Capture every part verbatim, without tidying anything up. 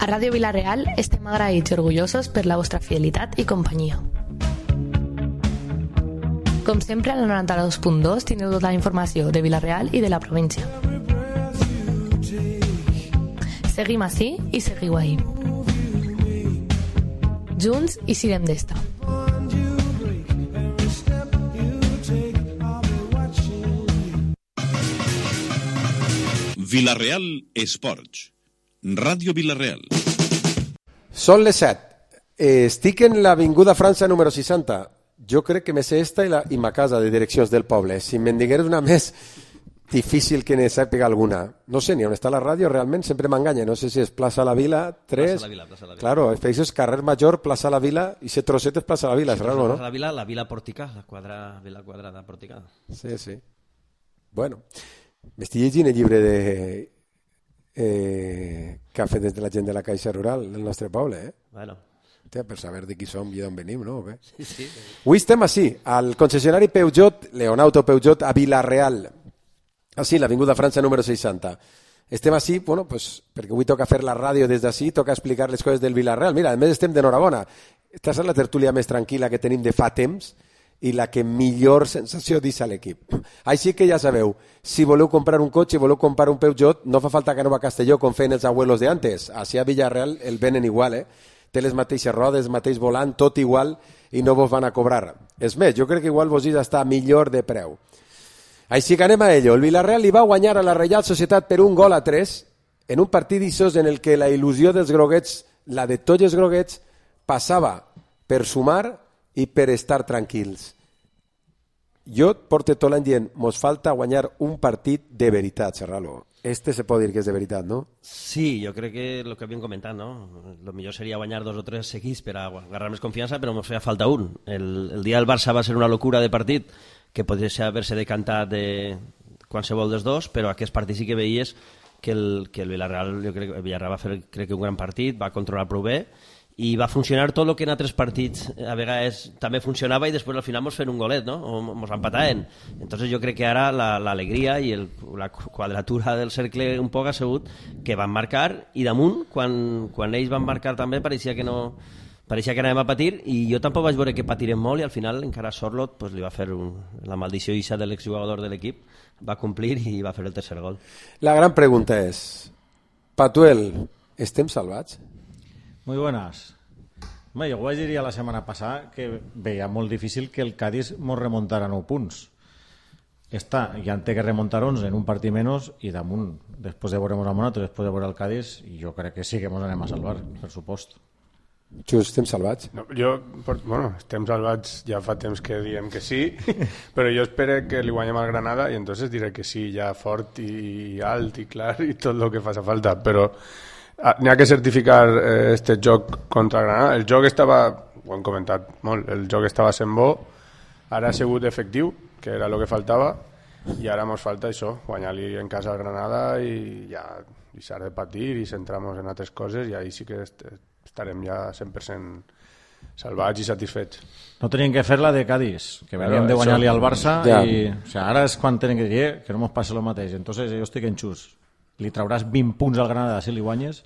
A Ràdio Vila-real estem agraïts i orgullosos per la vostra fidelitat i companyia. Com sempre, al noranta-dos punt dos teniu tota la informació de Vila-real i de la província. Seguim ací i seguiu ahí. Junts i sirem d'esta. Vila-real Esports. Ràdio Vila-real. Són les set. Eh, estic en l'avinguda França número seixanta. Jo crec que me sé esta i, la, i ma casa de direccions del poble. Si me'n digueres una més, difícil que ne sàpiga alguna. No sé ni on està la ràdio, realment sempre m'enganya. No sé si és Plaça la Vila, tres... Plaça la Vila, Plaça la Vila. Claro, és carrer Major, Plaça la Vila, i ese trosset és Plaça la Vila, és raro, no? Plaça la Vila, la Vila Pòrtica, la quadra, Vila Quadrada Pòrtica. Sí, sí. Bueno, m'estic llegint el llibre de... Eh, que ha fet des de la gent de la Caixa Rural del nostre poble, eh? Bueno. Hòstia, per saber de qui som i d'on venim, no? Sí, sí. Avui estem així, al concessionari Peugeot, Leonauto Peugeot, a Vila-real. Així, l'avinguda França número seixanta. Estem així, bueno, pues, perquè avui toca fer la ràdio des d'ací, toca explicar les coses del Vila-real. Mira, a més estem d'enhorabona. Esta és la tertúlia més tranquil·la que tenim de fa temps i la que millor sensació deixa l'equip. Així que ja sabeu, si voleu comprar un cotxe, voleu comprar un Peugeot, no fa falta que aneu a Castelló com feien els abuelos de antes. Així a Villarreal el venen igual, eh? Té les mateixes rodes, mateix volant, tot igual, i no vos van a cobrar. És més, jo crec que igual vos està millor de preu. Així que anem a ello. El Villarreal li va guanyar a la Reial Societat per un gol a tres en un partit d'ixos en el que la il·lusió dels groguets, la de tots els groguets, passava per sumar i per estar tranquils. Jo porto tot l'any dient, mos falta guanyar un partit de veritat, Serralo. Este se pot dir que és de veritat, no? Sí, jo crec que el que havíem comentat, no? Lo millor seria guanyar dos o tres seguits per a agarrar més confiança, però mos feia falta un. El, el dia del Barça va ser una locura de partit que podria haver-se decantat de qualsevol dels dos, però aquest partit sí que veies que el, que el Villarreal, jo crec que el Villarreal va fer crec que un gran partit, va controlar prou bé, i va funcionar tot el que en altres partits a vegades també funcionava i després al final mos fent un golet, no? O mos empataven. Entonces jo crec que ara l'alegria la, i el, la quadratura del cercle un poc ha sigut que van marcar i damunt, quan, quan ells van marcar també pareixia que no pareixia que anàvem a patir i jo tampoc vaig veure que patirem molt i al final encara Sorlot pues, li va fer un, la maldició ixa de l'exjugador de l'equip, va complir i va fer el tercer gol. La gran pregunta és, Patuel, estem salvats? Muy buenas. Bé, jo ho vaig dir ja la setmana passada que veia molt difícil que el Cádiz mos remuntara nou punts. Està, ja en té que remuntar onze en un partit menys i damunt, després de veurem a Monato, després de veure el Cádiz, jo crec que sí que mos anem a salvar, per supost. Just, estem salvats? No, jo, bueno, estem salvats ja fa temps que diem que sí, però jo espero que li guanyem al Granada i entonces diré que sí, ja fort i alt i clar i tot el que faci falta, però n'hi ha que certificar eh, este joc contra Granada. El joc estava, ho hem comentat molt, el joc estava sent bo, ara ha sigut efectiu, que era el que faltava, i ara ens falta això, guanyar-li en casa al Granada i ja deixar de patir i centrar-nos en altres coses i ahí sí que est estarem ja cent per cent salvats i satisfets. No tenien que fer la de Cádiz, que venien de guanyar-li al Barça ja. I o sea, ara és quan tenen que dir que no ens passi el mateix, entonces jo estic en xus. Li trauràs vint punts al Granada si li guanyes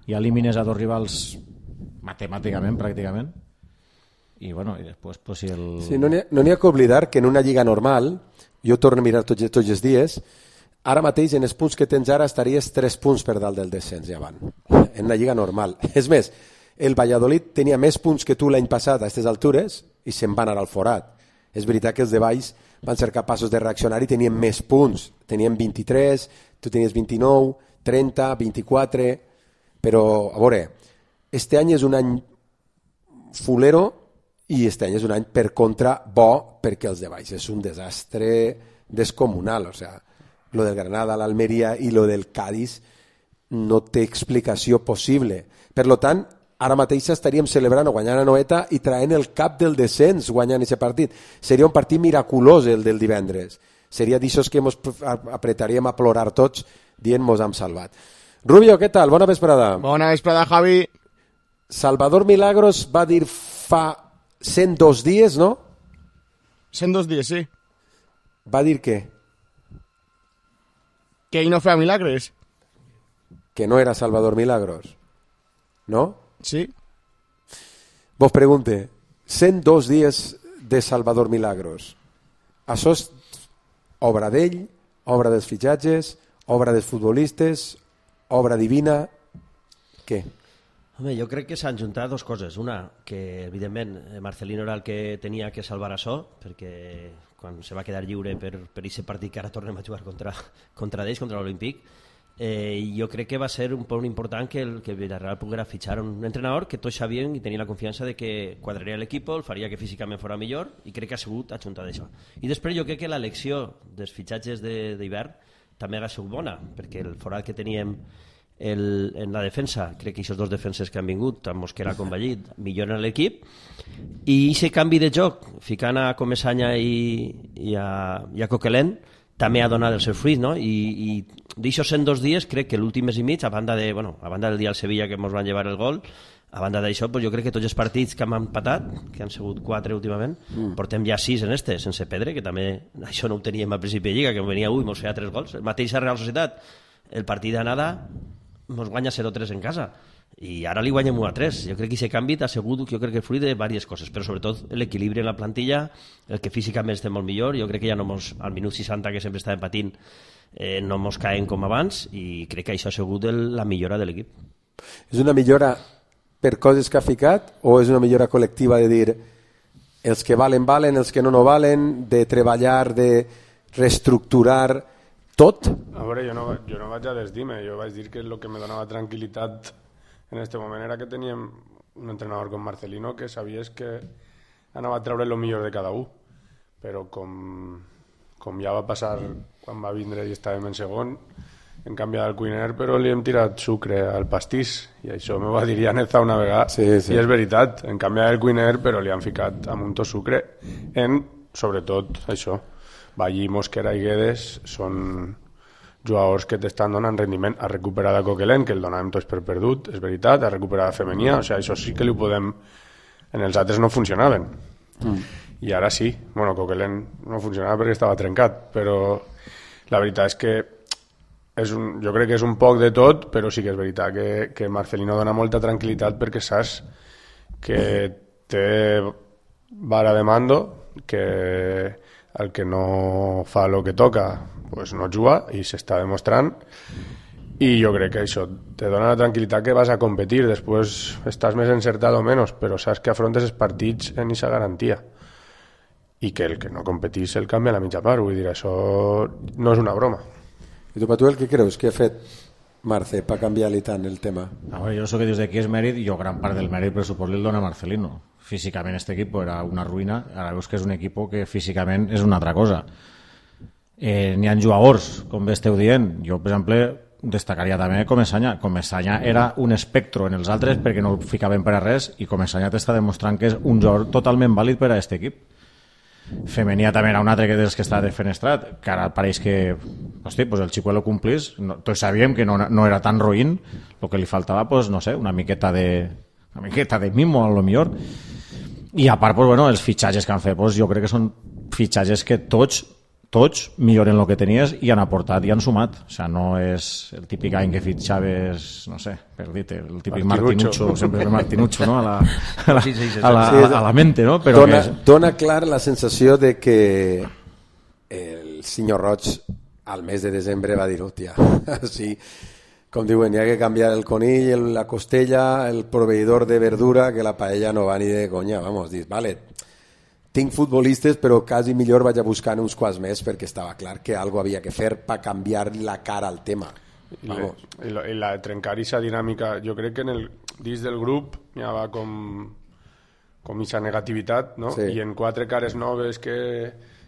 i elimines a dos rivals matemàticament, pràcticament. I, bueno, i després, pues, si el... Sí, no n'hi ha, no n'hi ha que oblidar que en una lliga normal, jo torno a mirar tots, tots els dies, ara mateix en els punts que tens ara estaries tres punts per dalt del descens, ja van. En una lliga normal. És més, el Valladolid tenia més punts que tu l'any passat a aquestes altures i se'n van anar al forat. És veritat que els de baix van ser capaços de reaccionar i tenien més punts. Tenien vint-i-tres, tu tenies vint-i-nou, trenta, vint-i-quatre, però, a veure, este any és un any fulero i este any és un any per contra bo perquè els de baix és un desastre descomunal, o sea, lo del Granada, l'Almeria i lo del Cádiz no té explicació possible. Per lo tant, ara mateix estaríem celebrant o guanyant a Noeta i traient el cap del descens guanyant aquest partit. Seria un partit miraculós el del divendres. Seria d'aixòs que ens apretaríem a plorar tots dient mos hem salvat. Rubio, què tal? Bona vesprada. Bona vesprada, Javi. Salvador Milagros va dir fa cent dos dies, no? cent dos dies, sí. Va dir què? Que ell no feia milagres. Que no era Salvador Milagros. no? Sí. Vos pregunte, cent dos dies de Salvador Milagros, això és obra d'ell, obra dels fitxatges, obra dels futbolistes, obra divina, què? Home, jo crec que s'han juntat dues coses. Una, que evidentment Marcelino era el que tenia que salvar això, perquè quan se va quedar lliure per, per aquest partit que ara tornem a jugar contra, contra d'ells, contra l'Olímpic, eh, jo crec que va ser un punt important que, el, que Villarreal poguera fitxar un entrenador que tots sabien i tenien la confiança de que quadraria l'equip, el faria que físicament fora millor, i crec que ha sigut ajuntat d'això. I després jo crec que l'elecció dels fitxatges d'hivern també ha sigut bona, perquè el forat que teníem el, en la defensa, crec que aquests dos defenses que han vingut, tant Mosquera com Vallit, milloren l'equip, i aquest canvi de joc, ficant a Comesaña i, i, a, i a Coquelin, també ha donat el seu fruit, no? I, i d'aixòs cent dos dies crec que l'últim mes i mig, a banda, de, bueno, a banda del dia al Sevilla que ens van llevar el gol, a banda d'això, pues jo crec que tots els partits que hem empatat, que han sigut quatre últimament, mm. portem ja sis en este, sense perdre, que també això no ho teníem al principi de Lliga, que venia ui, ens feia tres gols. El mateix a Real Societat, el partit d'anada ens guanya zero tres en casa, i ara li guanyem u a tres. Jo crec que aquest canvi ha sigut, jo crec que fruit de diverses coses, però sobretot l'equilibri en la plantilla, el que físicament estem molt millor. Jo crec que ja no mos, al minut seixanta, que sempre estàvem patint, eh, no mos caen com abans, i crec que això ha sigut el, la millora de l'equip. És una millora per coses que ha ficat, o és una millora col·lectiva de dir els que valen, valen, els que no, no valen, de treballar, de reestructurar tot? A veure, jo no, jo no vaig a desdir-me, jo vaig dir que el que me donava tranquil·litat en aquest moment era que teníem un entrenador com Marcelino que sabies que anava a treure el millor de cada un, però com, com ja va passar quan va vindre i estàvem en segon, hem canviat el cuiner però li hem tirat sucre al pastís, i això m'ho va dir Llaneza una vegada, sí, sí. I és veritat, hem canviat el cuiner però li han ficat amb un to sucre en, sobretot, això. Vallí, Mosquera i Guedes són jugadors que t'estan donant rendiment. Ha recuperat a Coquelin, que el donàvem tots per perdut, és veritat, ha recuperat a Femenia, o sigui, això sí que li ho podem... En els altres no funcionaven. Mm. I ara sí. Bueno, Coquelin no funcionava perquè estava trencat, però la veritat és que és un, jo crec que és un poc de tot, però sí que és veritat que, que Marcelino dona molta tranquil·litat perquè saps que té vara de mando, que el que no fa el que toca pues no juga, i s'està demostrant, i jo crec que això te dona la tranquil·litat que vas a competir, després estàs més encertat o menys, però saps que afrontes els partits en aquesta garantia, i que el que no competís el canvia a la mitja part, vull dir, això no és una broma. I tu, Patuel, què creus que ha fet Marce per canviar-li tant el tema? A veure, jo so que dius d'aquí és mèrit, i jo gran part del mèrit per suport li el dona Marcelino. Físicament este equip era una ruïna, ara veus que és un equip que físicament és una altra cosa. Eh, n'hi ha jugadors, com bé esteu dient. Jo, per exemple, destacaria també Comesaña. Comesaña era un espectro en els altres perquè no el ficaven per a res, i Comesaña t'està demostrant que és un jugador totalment vàlid per a aquest equip. Femenia també era un altre que dels que està defenestrat, que ara pareix que hosti, pues el Chicuelo complís, no, tots sabíem que no, no era tan roïn, el que li faltava, pues, no sé, una miqueta de una miqueta de mimo, a lo millor. I a part, pues, bueno, els fitxatges que han fet, pues, jo crec que són fitxatges que tots tots milloren el que tenies i han aportat i han sumat. O sigui, no és el típic any que fitxaves, no sé, per dir-te, el típic Martinucho, sempre el Martinucho, no? A la, a la, a la, a la mente, no? Però dona, és... dona clar la sensació de que el senyor Roig al mes de desembre va dir, hòstia, sí, com diuen, hi ha que canviar el conill, la costella, el proveïdor de verdura, que la paella no va ni de conya, vamos, dius, vale, tinc futbolistes, però quasi millor vaig a buscar uns quants més perquè estava clar que algo havia que fer per canviar la cara al tema. I la, i la, i la trencar aquesta dinàmica, jo crec que en el, dins del grup hi va com com aquesta negativitat, no? Sí. I en quatre cares noves que,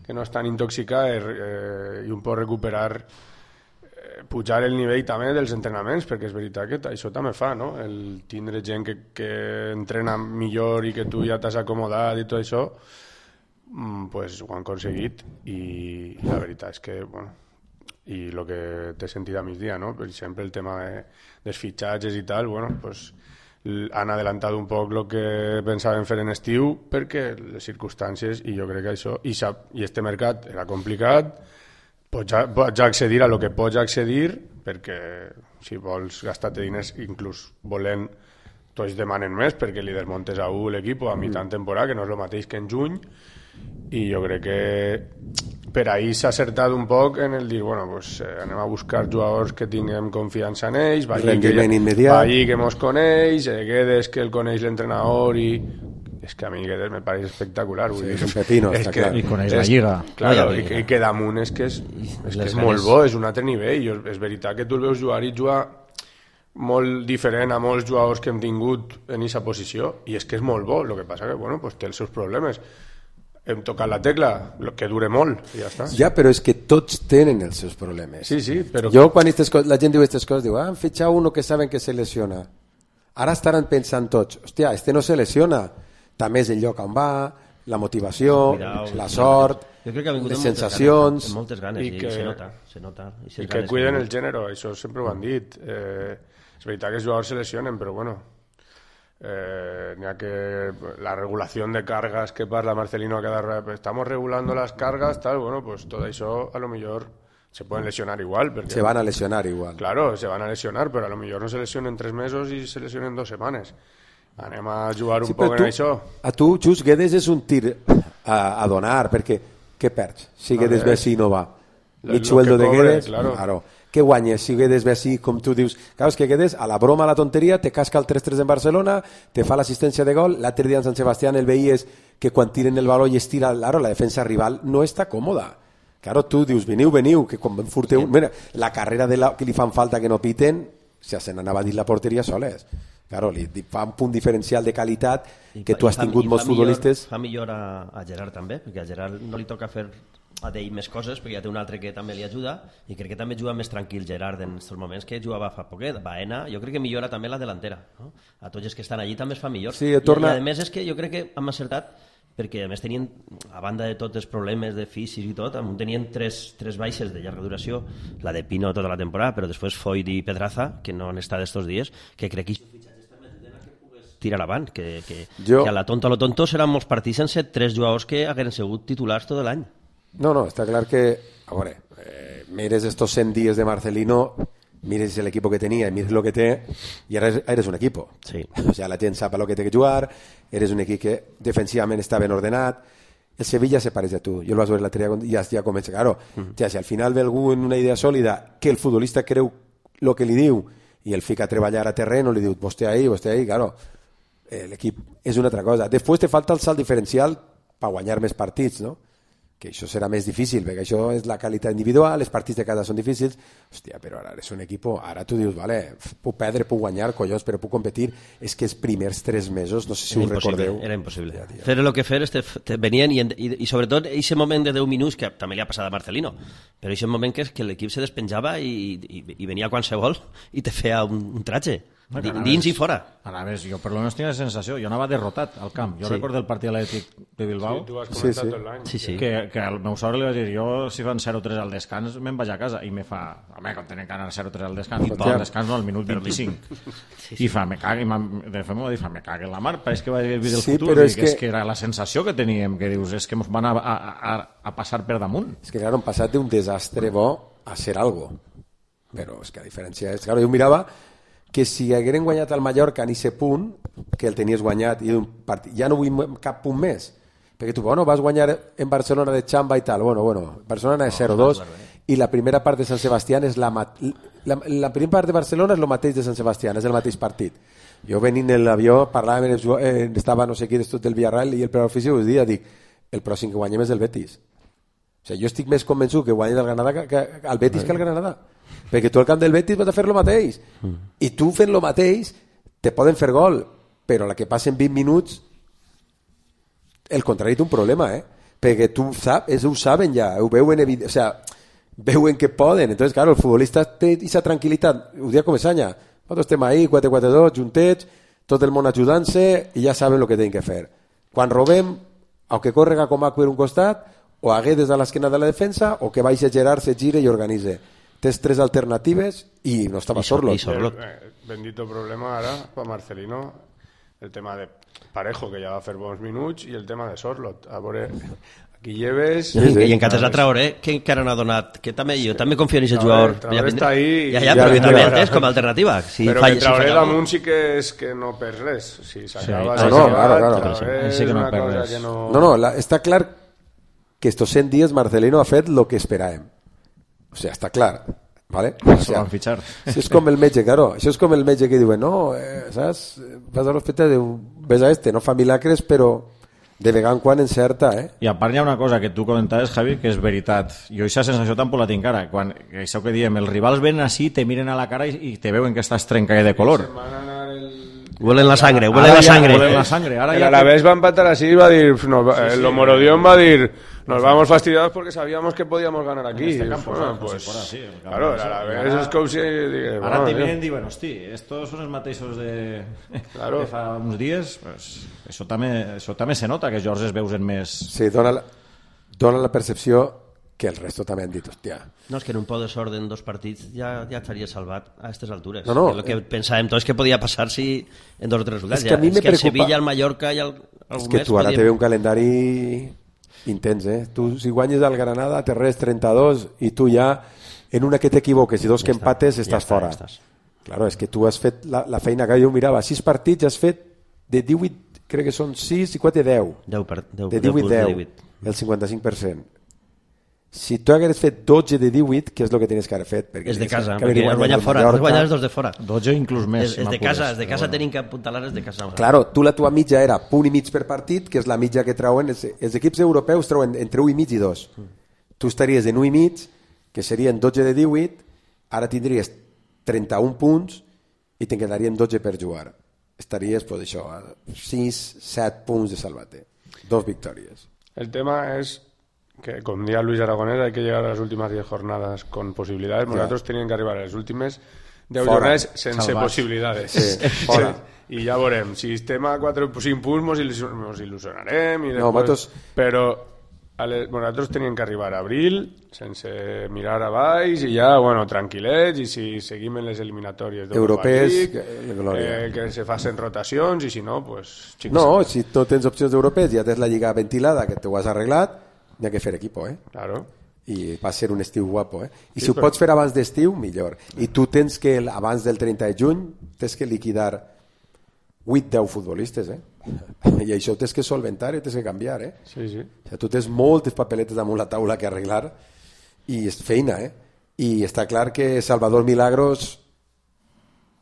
que no estan intoxicades eh, i un pot recuperar eh, pujar el nivell també dels entrenaments, perquè és veritat que això també fa, no? El tindre gent que, que entrena millor i que tu ja t'has acomodat i tot això, pues ho han aconseguit, i, i la veritat és que, bueno, i el que t'he sentit a migdia, no? Per exemple, el tema de, dels fitxatges i tal, bueno, pues han adelantat un poc el que pensaven fer en estiu perquè les circumstàncies, i jo crec que això, i, sap, i este mercat era complicat, pots, pots accedir a lo que pots accedir, perquè si vols gastar-te diners inclús volent tots demanen més perquè li desmontes a un l'equip a mitjà temporada, que no és el mateix que en juny, i jo crec que per ahir s'ha acertat un poc en el dir, bueno, pues, eh, anem a buscar jugadors que tinguem confiança en ells, rendiment immediat, Vallí que mos coneix, eh, Guedes que el coneix l'entrenador, i és que a mi Guedes me pareix espectacular, vull sí, dir, és un pepino, és està que, clar, i coneix la Lliga, claro, i, i que damunt és que és, és, que és molt bo, és un altre nivell, i és veritat que tu el veus jugar i jugar molt diferent a molts jugadors que hem tingut en aquesta posició, i és que és molt bo, el que passa que bueno, pues té els seus problemes, hem tocat la tecla, que dure molt, i ja està. Ja, però és que tots tenen els seus problemes. Sí, sí, però... Jo, quan coses, la gent diu aquestes coses, diu, ah, han fitxat uno que saben que se lesiona. Ara estaran pensant tots, hòstia, este no se lesiona, també és el lloc on va, la motivació, Cuidao, la sort, jo crec que les sensacions... Amb moltes ganes, i, i, que, i se nota. Se nota i i que cuiden el gènere, això sempre ho han dit. Eh, és veritat que els jugadors se lesionen, però bueno... Eh, n'hi ha que la regulación de cargas que parla Marcelino cada rato, estamos regulando las cargas, tal, bueno, pues todo eso a lo mejor se pueden lesionar igual. Porque, se van a lesionar igual. Claro, se van a lesionar, pero a lo mejor no se lesionen tres mesos y se lesionen dos semanas. Anem a jugar un sí, poc en tu, això. A tu, Xus, Guedes és un tir a, a donar, perquè què perds si Guedes ve si no va? Mig sueldo de Guedes, claro. claro. Què guanyes si Guedes ve així, com tu dius? Clar, és que Guedes, a la broma, a la tonteria, te casca el tres tres en Barcelona, te fa l'assistència de gol, l'altre dia en Sant Sebastián el veies que quan tiren el baló i es tira, claro, la defensa rival no està còmoda. Claro, tu dius, veniu, veniu, que quan furteu... Sí. Mira, la carrera de la, que li fan falta que no piten, ja se n'anava a dir la porteria soles. Claro, li fa un punt diferencial de qualitat que tu has tingut molts futbolistes. Fa millor a, a Gerard també, perquè a Gerard no li toca fer a d'ell més coses, perquè ja té un altre que també li ajuda, i crec que també juga més tranquil Gerard en aquests moments que jugava fa poquet. Baena, jo crec que millora també la delantera, no? A tots els que estan allí també es fa millor. Sí, torna... I, i a més és que jo crec que hem acertat, perquè a més tenien, a banda de tots els problemes de fisis i tot, tenien tres, tres baixes de llarga duració, la de Pino tota la temporada, però després Foyt i Pedraza, que no han estat estos dies, que crec que tirar avant, que, que, jo... que a la tonta a lo tonto seran molts partits sense tres jugadors que hagueren sigut titulars tot l'any. No, no, està clar que, a veure, eh, mires estos cent dies de Marcelino, mires el equipo que tenía, mires lo que té, y ahora eres un equipo. Sí. O sea, la gent sap lo que té que jugar, eres un equip que defensivament està ben ordenat. El Sevilla se pareix a tu. Jo el vas veure l'altre dia i ja, ja comença, claro. Mm. Ja, si al final ve algú en una idea sòlida que el futbolista creu lo que li diu i el fica a treballar a terreno, li diu, vostè ahí, vostè ahí, claro. L'equip és una altra cosa. Després te falta el salt diferencial per guanyar més partits, no? Que això serà més difícil, perquè això és la qualitat individual, els partits de casa són difícils. Hòstia, però ara és un equip, ara tu dius, vale, puc perdre, puc guanyar, collons, però puc competir. És que els primers tres mesos, no sé si era ho recordeu. Era impossible. Ja, fer el que fer, te, te venien, i, i, i sobretot aquest moment de deu minuts, que també li ha passat a Marcelino, però aquest moment que, que l'equip se despenjava i, i, i venia qualsevol i te feia un, un tratge. No, dins i fora. Anaves, jo per lo menos tinc la sensació, jo anava derrotat al camp. Jo sí. recordo el partit atlètic de Bilbao. Sí, tu has comentat sí, sí. tot l'any. Sí, sí. Que, que al meu sogre li va dir, jo si fan zero tres al descans me'n vaig a casa. I me fa, home, quan tenen que anar zero tres al descans, no, al descans no, al minut vint-i-cinc. Sí, sí. I fa, me cague, de fet m'ho va dir, fa, me cague la mar, pareix que va vivir el sí, futur. Però és, és que... que... és que era la sensació que teníem, que dius, és que ens van a, a, a, a passar per damunt. És que, clar, han passat d'un desastre bo a ser algo. Però és que a diferència és... Clar, jo mirava que si hagueren guanyat al Mallorca en aquest punt, que el tenies guanyat, i un partit, ja no vull cap punt més, perquè tu, bueno, vas guanyar en Barcelona de xamba i tal, bueno, bueno, Barcelona és zero dos, i la primera part de Sant Sebastián és la, la, la primera part de Barcelona és el mateix de Sant Sebastián, és el mateix partit. Jo venint en l'avió, parlàvem, eh, estava no sé qui d'estos del Villarreal, i el preparador físic us dia, dic, el pròxim que guanyem és el Betis. O sigui, jo estic més convençut que guanyi el Granada que, que el Betis que el Granada. Perquè tu al camp del Betis vas a fer lo mateix. Mm. I tu fent lo mateix te poden fer gol, però la que passen vint minuts el contrari té un problema, eh? Perquè tu saps, ells ho saben ja, ho veuen, o sea, veuen que poden. Entonces, claro, el futbolista té aquesta tranquil·litat, ho dia com Esanya, nosaltres estem ahí, quatre quatre dos, juntets, tot el món ajudant-se i ja saben el que tenen que fer. Quan robem, o que correga com a per un costat, o a Guedes a l'esquena de la defensa, o que vagi a Gerard, se gire i organitze. Tens tres alternatives i no estava Sorlot. Eh, bendito problema ara per Marcelino, el tema de Parejo, que ja va fer bons minuts, i el tema de Sorlot. A veure, Guilleves... Sí, sí. I en Cates a Traoré, que encara no ha donat... Que també, jo també confio en aquest jugador. Traoré està ahí... Ja, ja, però que també és com a alternativa. Si però falla, que Traoré si damunt sí que és que no perd res. Si s'acaba... Sí. No, no, claro, claro. Traoré sí que no és una perd cosa res. que no... No, no, la, està clar que estos cent dies Marcelino ha fet lo que esperàvem. O sea, està clar. ¿Vale? O sea, van fichar. Això és com el metge, claro. Això és com el metge que diuen, no, eh, saps? Vas a l'hospital i diu, ves a este, no fa milagres, però de vegada en quan encerta, eh? I a part hi ha una cosa que tu comentaves, Javi, que és veritat. Jo aquesta sensació tampoc la tinc ara. Quan, això que diem, els rivals venen així, te miren a la cara i, i te veuen que estàs trencada de color. Huelen la sangre, huelen la sangre. Huelen la sangre. Ara el ja Alavés va empatar así y va a decir, no, sí, el sí, Lomorodión va a decir, nos vamos fastidiados porque sabíamos que podíamos ganar aquí. En este campo, bueno, pues, pues, si fuera así, el campo claro, el ese. Alavés Ara- és com si... Digue, Ara bueno, te Dios. miren i diuen, hosti, estos són els mateixos de, Claro. de fa uns dies. Pues, això, també, això també se nota, que Jorge es veusen més... Sí, dona la, dona la percepció que el resto també han dit, hòstia. No, és que en un po de sort en dos partits ja, ja estaria salvat a aquestes altures. No, no, que el que eh. pensàvem tots que podia passar si en dos o tres resultats. És que a mi ja, me és que el preocupa- Sevilla, el Mallorca i el, el És que tu ara te ve un calendari intens, eh? Tu si guanyes al Granada te res trenta-dos i tu ja en una que t'equivoques i dos que empates estàs ja fora. Estàs. Claro, és que tu has fet la, la feina que jo mirava, sis partits has fet de divuit, crec que són sis i quatre, deu. deu per, deu, De deu divuit, punts de deu, divuit. el cinquanta-cinc per cent. Si tu hagués fet dotze de divuit, què és el que tenies que haver fet? Perquè És de tenies casa, que haver perquè has guanyat guanyat el fora, has Mallorca. guanyat els dos de fora. dotze inclús més. És, si és de m'apures, casa, és de però casa bueno. tenim que apuntalar és de casa. Claro, tu la tua mitja era punt i mig per partit, que és la mitja que treuen, els, els equips europeus treuen entre un i mig i dos. Tu estaries en un i mig, que serien dotze de divuit, ara tindries trenta-un punts i te'n quedarien dotze per jugar. Estaries, pues això, a sis, set punts de salvate. Dos victòries. El tema es que, como decía Luis Aragonés, hay que llegar a las últimas diez jornadas con posibilidades. Claro. Nosotros tenían que arribar a las últimes deu Fora. jornades sense Salvats. possibilitats. Sí, fora. I ja veurem. Si estem a quatre o cinc punts mos il·lusion- mos il·lusionarem. I No, després... nosaltres- Però a les... bueno, nosaltres teníem que arribar a abril sense mirar a baix i ja, bueno, tranquil·lets, i si seguim en les eliminatòries Europees, League, que- glòria. eh, que se facin rotacions, i si no, pues... xic, No, xic. si no tens opcions europees, ja tens la lliga ventilada, que t'ho has arreglat, n'hi ha que fer equipo, eh? Claro. I va ser un estiu guapo, eh? I Sí, si ho però- pots fer abans d'estiu, millor. I tu tens que, abans del trenta de juny, tens que liquidar vuit deu futbolistes, eh? I això ho tens que solventar i ho tens que canviar, eh? Sí, sí. O sigui, tu tens moltes papeletes damunt la taula que arreglar i és feina, eh? I està clar que Salvador Milagros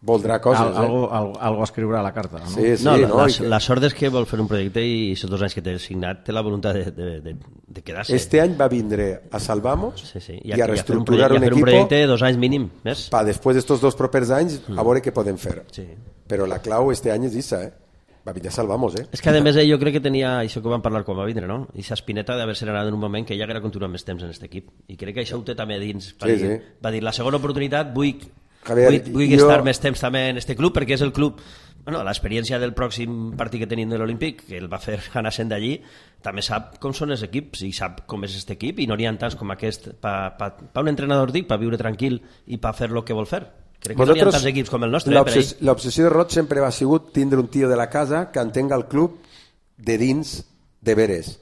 voldrà coses, Al, eh? algo, algo, algo a escriure a la carta, no? Sí, sí, No, la, no? la, I que la sort és que vol fer un projecte i aquests dos anys que té signat té la voluntat de, de, de, de quedar-se. Este any va vindre a Salvamos Sí, sí. i a fer reestructurar un, un, projecte, i a fer un equipo projecte de dos anys mínim, més? para després d'estos dos propers anys a veure què podem fer. Sí. Però la clau este any és issa, eh? Va vindre a Salvamos, eh? És que a més ell jo crec que tenia això que vam parlar quan va vindre, no? Ixa espineta d'haver-se anat en un moment que ja haguera continuat més temps en aquest equip. I crec que això ho té també a dins. Va, Sí, dir, sí. va dir, la segona oportunitat vull, Javier, vull, vull jo- estar més temps també en este club, perquè és el club... Bueno, l'experiència del pròxim partit que tenim de l'Olímpic, que el va fer anar sent d'allí, també sap com són els equips i sap com és aquest equip, i no n'hi ha tants com aquest pa, pa, pa un entrenador, dic, per viure tranquil i per fer el que vol fer. Crec que no n'hi ha tants equips com el nostre. Eh, per l'obsessió ell. l'obsessió de Roig sempre va sigut tindre un tio de la casa que entenga el club de dins de veres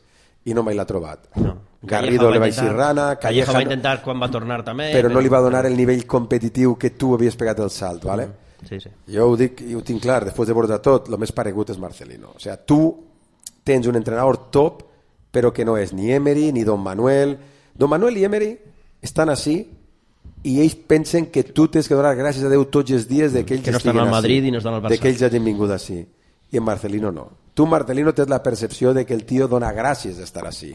i no mai l'ha trobat. No. Garrido Calleja le va intentar- dir rana, Calleja Calleja va no- intentar quan va tornar també, però no li va donar el nivell competitiu que tu havies pegat el salt, ¿vale? Sí, sí. Jo ho dic i ho tinc clar, després de veure tot, el més paregut és Marcelino. O sea, tu tens un entrenador top, però que no és ni Emery ni Don Manuel. Don Manuel i Emery estan així i ells pensen que tu tens que donar gràcies a Déu tots els dies de que ells Que no estan estiguen al Madrid ací, i no estan al Barça. de que ells hagin vingut així. I en Marcelino no. Tu, Marcelino, tens la percepció de que el tio dona gràcies d'estar així.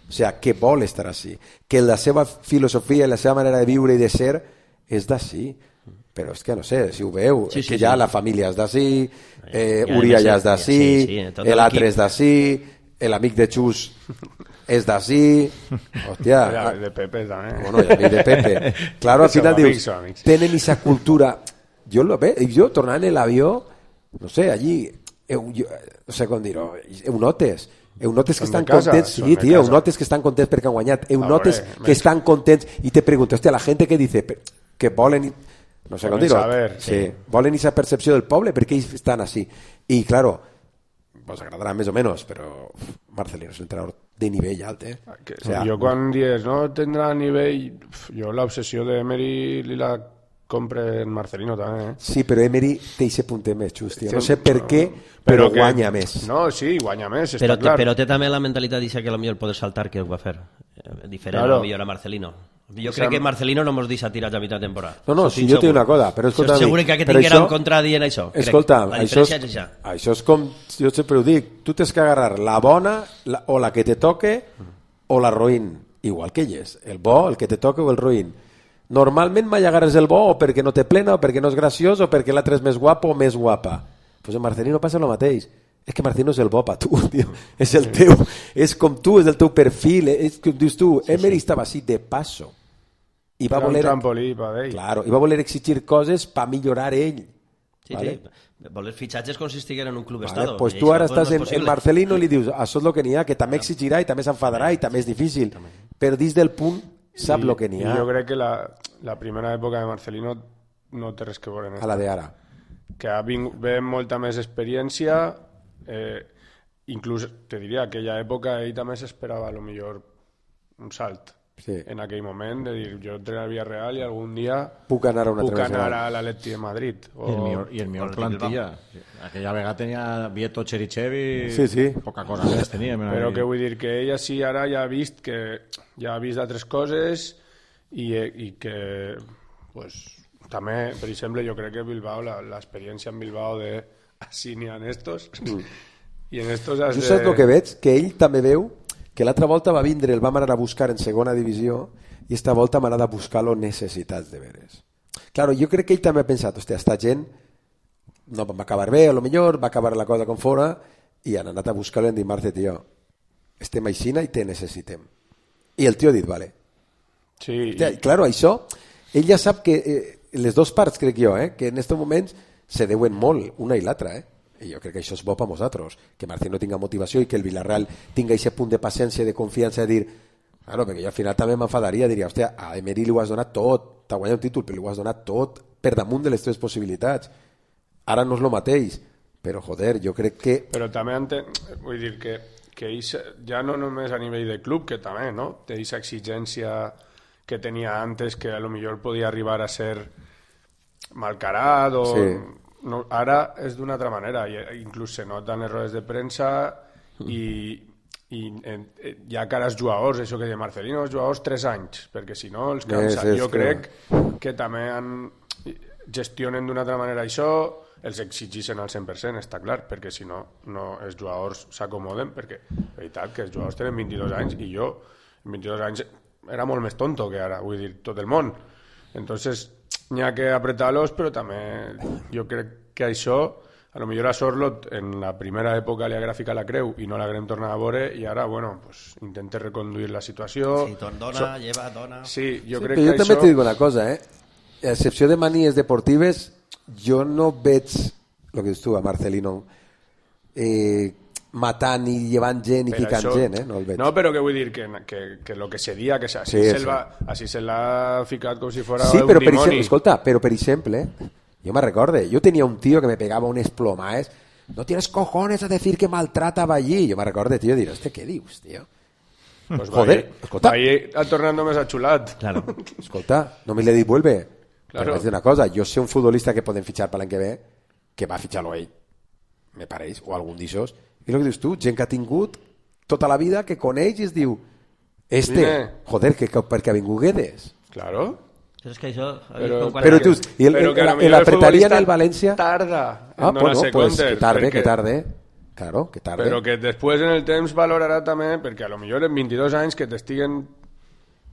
O sea, que vol estar així. Que la seva filosofia i la seva manera de viure i de ser és d'ací. Però és que no sé, si ho veu, Sí, és sí, que ja sí. la família és d'ací, eh, I a Uria més, ja eh, és d'ací, sí, sí, tot l'altre l'equip. és d'ací, l'amic de Xus és d'ací, hòstia, Ja, de Pepe també. bueno, i amic de Pepe. Claro, al Som final amics, dius, som amics. tenen esa cultura. Jo lo ve, jo tornant en l'avió, no sé, allí, eu, jo, no sé com dir-ho, eu notes, eu notes que Són de estan casa, contents, són sí, de tio, eu casa. notes que estan contents perquè han guanyat, eu Ah, notes hombre, que menys. estan contents, i te pregunto, hòstia, la gent que dice que volen, no sé com Volen dir-ho, saber, sí, sí. volen esa percepció del poble perquè ells estan així. I, claro, vos agradarà més o menys, però uf, Marcelino és un entrenador de nivell alt, eh? Que, O sea, jo quan dius, no tindrà nivell... Jo l'obsessió d'Emery li la compre en Marcelino també, eh? Sí, però Emery té aquest punter més, just, tio. No sé per què, però, però que, guanya més. No, sí, guanya més, està però, clar. Però té també la mentalitat d'eixa que potser poder saltar que ho va fer. Eh, diferent claro. a millor a Marcelino. Jo crec que Marcelino no mos deixa tirar a mitjà temporada. No, no, si jo tinc una cosa, però escolta... Segur que aquest tinguera un contra dient això. Escolta, la això és, és això. això és com, jo sempre ho dic, tu tens que agarrar la bona la, o la que te toque o la roïn, igual que ell és, el bo, el que te toque o el roïn. Normalment mai agarres el bo o perquè no té plena o perquè no és graciós o perquè l'altre és més guapo o més guapa. Pues en Marcelino passa el mateix. És que Marcelino és el bo per tu, tio. És el teu, és com tu, és el teu perfil, és com dius tu, sí, Emery sí. estava així de passo. I va voler, trampolí per ell. Claro, i va voler exigir coses per millorar ell. Sí, vale? sí. Voler fitxatges consistiguin en un club Vale, estado. pues tu ara estàs en, en Marcelino i li dius, això és el que n'hi ha, que també exigirà i també s'enfadarà i també és difícil. Però dins del punt sap el que n'hi ha. Jo crec que la, la primera època de Marcelino no té res que veure en a la d'ara. Que ha vingut, ve molta més experiència, eh, inclús te diria que aquella època ell també s'esperava a lo millor un salt. Sí. En aquell moment de dir, jo entreno al Villarreal i algun dia puc anar a una puc anar a l'Atleti de Madrid o... I el millor, i el millor plantilla aquella vegada tenia Vieto, Cherichev sí, sí. poca cosa més tenia però que vull dir que ella sí ara ja ha vist que ja ha vist altres coses i, i que pues, també, per exemple, jo crec que Bilbao l'experiència en Bilbao de així n'hi ha en estos mm. i en estos has jo de... saps el que veig? Que ell també veu que l'altra volta va vindre, el vam anar a buscar en segona divisió i esta volta m'ha anat a buscar les necessitats de veres. Claro, jo crec que ell també ha pensat, hòstia, esta gent no va acabar bé, a lo millor va acabar la cosa com fora i han anat a buscar-lo i han dit, Marce, tio, estem aixina i te necessitem. I el tio ha dit, vale. Sí. Hòstia, i... Claro, això, ell ja sap que eh, les dues parts, crec jo, eh, que en aquests moments se deuen molt, una i l'altra, eh? I jo crec que això és bo per nosaltres, que Marcelino tinga motivació i que el Villarreal tinga aquest punt de paciència i de confiança de dir, claro, perquè jo al final també m'enfadaria, diria, hòstia, a Emery li ho has donat tot, t'ha guanyat un títol, però li ho has donat tot per damunt de les teves possibilitats. Ara no és el mateix, però joder, jo crec que... Però també enten... vull dir que, que ells, ja no només a nivell de club, que també, no? Té aquesta exigència que tenia antes, que a lo millor podia arribar a ser malcarat o... Sí. No, ara és d'una altra manera, inclús se noten errors de premsa i, i en, ja cara als jugadors, això que de Marcelino, els jugadors tres anys, perquè si no els cansa. És, és jo que... crec que també han, gestionen d'una altra manera això, els exigeixen al cent per cent, està clar, perquè si no, no els jugadors s'acomoden, perquè és veritat que els jugadors tenen vint-i-dos anys i jo en vint-i-dos anys era molt més tonto que ara, vull dir, tot el món. Entonces n'hi ha que apretar-los, però també jo crec que això, a lo millor a Sorlot en la primera època li haguera ficat la creu i no l'haguem tornat a veure i ara, bueno, pues, intenta reconduir la situació. Sí, dona, so... lleva, dona... Sí, jo sí, crec que jo això... també t'he dit una cosa, eh? A excepció de manies deportives, jo no veig, el que dius tu, a Marcelino, eh, matant i llevant gent i però ficant això... gent, eh? No el veig. No, però que vull dir que, que, que lo que seria, que així, sí, se va, així se l'ha ficat com si fos sí, un però per dimoni. exemple, escolta, però per exemple, yo me recuerdo, yo tenía un tío que me pegaba unes plomaes, no tienes cojones a decir que maltrataba allí. Yo me recuerdo, tío, diré, ¿este qué dius, tío? Pues joder, va escolta. Va tornando més achulat. Claro. Escolta, només le dit vuelve. Claro. Però una cosa, jo sé un futbolista que poden fitxar per l'any que ve, que va fitxar-lo ell, me pareix, o algun d'ixos. I el que dius tu, gent que ha tingut tota la vida, que coneix i es diu, este, Mire. joder, que, que perquè ha vingut Guedes. Claro. Però és que això... Però, però tu, i el, però que el, el apretaria en el València... Tarda en ah, bueno, donar-se pues compte. que tarde, perquè... que tarde. Claro, que tarde. Però que després en el temps valorarà també, perquè a lo millor en vint-i-dos anys que t'estiguen,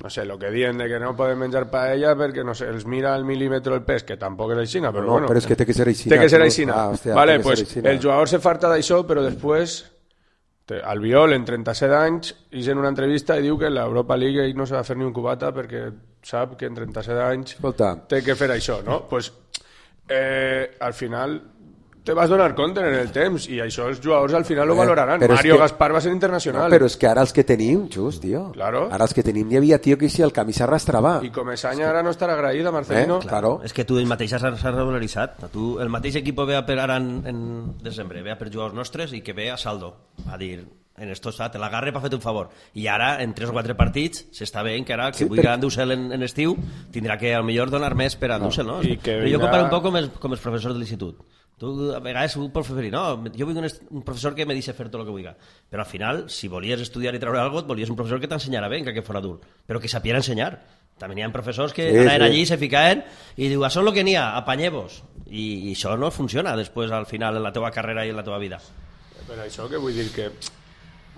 no sé, lo que diuen de que no poden menjar paella perquè, no sé, els mira al milímetre el pes, que tampoc és aixina, però no, bueno. però és que té que ser aixina. Té que ser aixina. Ah, hòstia, vale, pues el jugador se farta d'això, però després... Albiol, en trenta-set anys, és en una entrevista i diu que l'Europa League ell no se va fer ni un cubata perquè sap que en trenta-set anys Escolta. té que fer això, no? Pues, eh, al final te vas donar compte en el temps i això els jugadors al final ho Eh, valoraran. però és Mario que- Gaspar va ser internacional. No, però és que ara els que tenim, just, tio. Claro. Ara els que tenim hi havia tio que si el camí s'arrastrava. I Comesaña ara no estarà agraïda, Marcelino. Eh, claro. És que tu el mateix s'ha s'ha regularitzat. Tu, el mateix equip ve a per ara en, en desembre, ve a per jugadors nostres i que ve a saldo. A dir, en esto està, te l'agarre per fer-te un favor. I ara, en tres o quatre partits, s'està veient que ara, que Sí, vulgui per- endur-se'l en, en estiu, tindrà que, al millor, donar més per endur-se'l, no? i que Però jo vindrà- comparo un poc com els, com els professors de l'institut. Tu, a vegades, un professor, no, jo vull un, est- un professor que me deixi fer tot el que vulgui. Però al final, si volies estudiar i treure alguna cosa, volies un professor que t'ensenyara bé, encara que fos adult, però que sapiera ensenyar. També n'hi ha professors que Sí, anaven sí. allí, se ficaven i diu, això és el que n'hi ha, apanyeu-vos. I, I això no funciona després, al final, en la teva carrera i en la teva vida. Per això que vull dir que,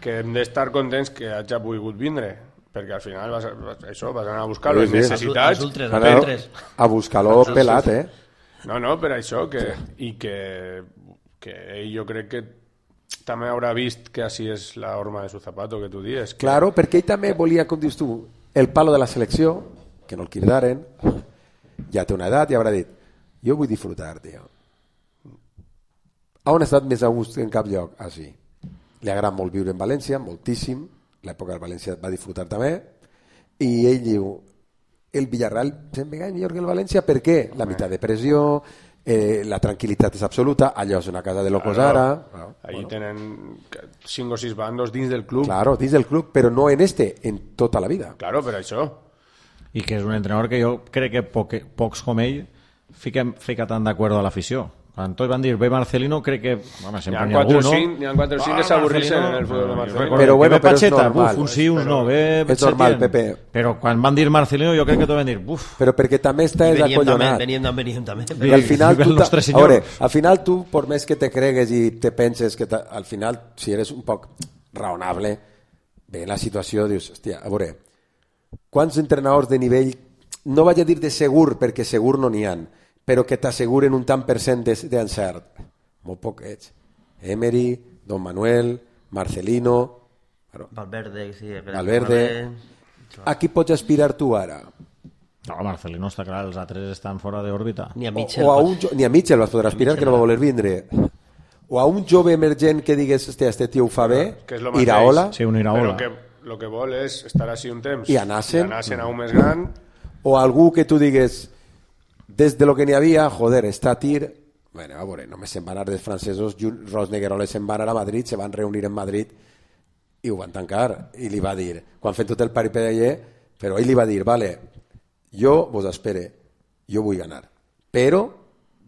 que hem d'estar contents que hagi volgut vindre, perquè al final vas, vas, això, vas anar a buscar les Sí, sí. necessitats. Els ultres, Ara, els ultres. a buscar-lo pelat, eh? No, no, per això, que, i que, que ell jo crec que també haurà vist que així és la horma de su zapato, que tu dies. Que... Claro, perquè ell també volia, com dius tu, el palo de la selecció, que no el cridaren, ja té una edat i haurà dit, jo vull disfrutar, tio. On ha estat més a gust en cap lloc? Ah, sí. Li agrada molt viure en València, moltíssim, l'època del València va disfrutar també, i ell diu, el Villarreal se'm ve millor que el València, per què? La meitat de pressió, eh, la tranquil·litat és absoluta, allò és una casa de locos Claro. ara... Claro, Allí tenen cinc o sis bandos dins del club. claro, dins del club, però no en este, en tota la vida. Claro, per això. I que és un entrenador que jo crec que poc, pocs com ell fiquen, fica tan d'acord a l'afició. Quan tots van dir, ve Marcelino, crec que... Home, N'hi sempre ha n'hi ha quatre algú, o no? cinc, n'hi ha quatre o cinc que s'avorreixen en el futbol de Marcelino. Però bueno, que ve però és Pacheta, normal. buf, uns sí, uns no, ve És normal, Setién. Pepe. Però quan van dir Marcelino jo crec que tots van dir, buf, Però perquè també estàs Veníem també, acollonat. veníem també, veníem també. I al final, Viva el tu, ta- nostre a senyor. veure, al final tu, per més que te cregues i te penses que ta- al final, si eres un poc raonable, ve la situació, dius, hòstia, a veure, quants entrenadors de nivell, no vaig a dir de segur, perquè segur no n'hi ha, però que t'asseguren un tant per cent de- d'encert? Molt poquets. Emery, Don Manuel, Marcelino... Claro. Valverde, sí. Valverde. A qui pots aspirar tu ara? no, Marcelino està clar, els altres estan fora d'òrbita. Ni a O, Mitchell. o a un, jo- ni a Mitchell vas poder aspirar, que no va voler vindre. O a un jove emergent que digues, hòstia, este tio ho fa bé, Que és lo mateix. Iraola, Sí, un Iraola. Però que el que vol és estar així un temps. I anar-se'n. I anar-se'n a un més gran. o algú que tu digues, des de lo que n'hi havia, joder, està a tir... Bueno, a veure, només se'n van anar dels francesos, Ju- Ros Negueroles se'n van anar a Madrid, se van reunir en Madrid i ho van tancar. I li va dir, quan fent tot el paripé, però ell li va dir, vale, jo vos espere, jo vull ganar, però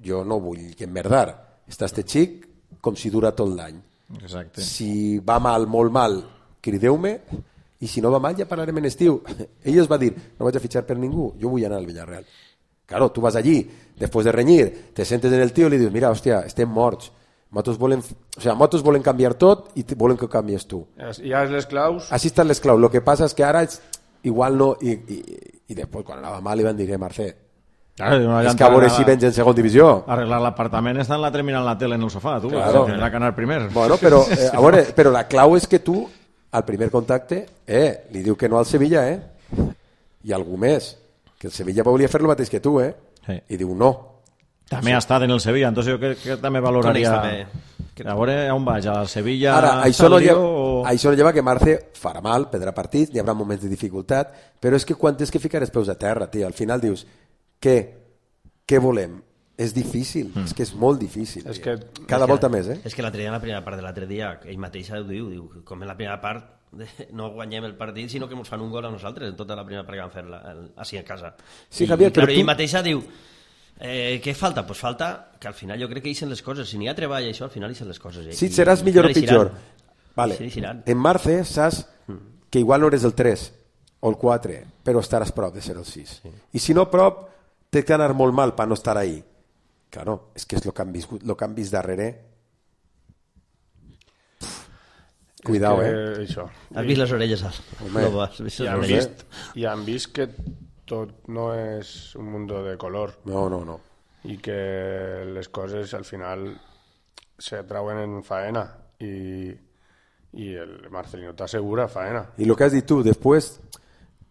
jo no vull que emmerdar. Està este xic com si dura tot l'any. Exacte. Si va mal, molt mal, crideu-me, i si no va mal ja parlarem en estiu. Ell es va dir, no vaig a fitxar per ningú, jo vull anar al Villarreal. Claro, tu vas allí, després de renyir, te sentes en el tio i li dius, mira, hòstia, estem morts. Motos volen, o sea, motos volen canviar tot i te- volen que ho canvies tu. Ja ja és les claus. Així estan les claus. Lo que passa és que ara és, igual no... I, i, i després, quan anava mal, li van dir, eh, Marcé, Claro, una és que a veure si vens en segon divisió. Arreglar l'apartament està en la terminal la tele en el sofà, tu. Claro. Tindrà que anar primer. Bueno, però, eh, a veure, però la clau és que tu, al primer contacte, eh, li diu que no al Sevilla, eh? I algú més, que el Sevilla volia fer el mateix que tu, eh? Sí. I diu no. També ha estat en el Sevilla, entonces jo crec que també valoraria... Coneix A veure on vaig, al Sevilla... Ara, això no, Salio lleva, o... això no lleva que Marce farà mal, perdrà partits, hi haurà moments de dificultat, però és que quan tens que ficar els peus a terra, tio, al final dius, què? Què volem? És difícil, mm. és que és molt difícil. És tio. que- Cada És que- volta més, eh? És que l'altre dia, en la primera part de l'altre dia, ell mateix ho diu, diu, com en la primera part de, no guanyem el partit, sinó que ens fan un gol a nosaltres en tota la primera part que vam fer la, el, així a casa. Sí, I, Javier, i, clar, però tu- ell mateixa diu, eh, què falta? Pues falta que al final jo crec que eixen les coses. Si n'hi ha treball i això, al final eixen les coses. Si I- seràs i- millor o i eixiran. pitjor. Vale. Sí, eixiran. En Marce saps que igual no eres el tres o el quatre, però estaràs prop de ser el sis. Sí. I si no prop, té que anar molt mal per no estar ahí. Claro, és que és el que han viscut, el que han vist darrere. Pff. Cuidao, que, eh? Això. Has vist les orelles, Al? Home. No, has vist I les han, orelles? vist, I han vist que tot no és un mundo de color No, no, no. i que les coses al final se trauen en faena i, i el Marcelino t'assegura faena. I el que has dit tu, després,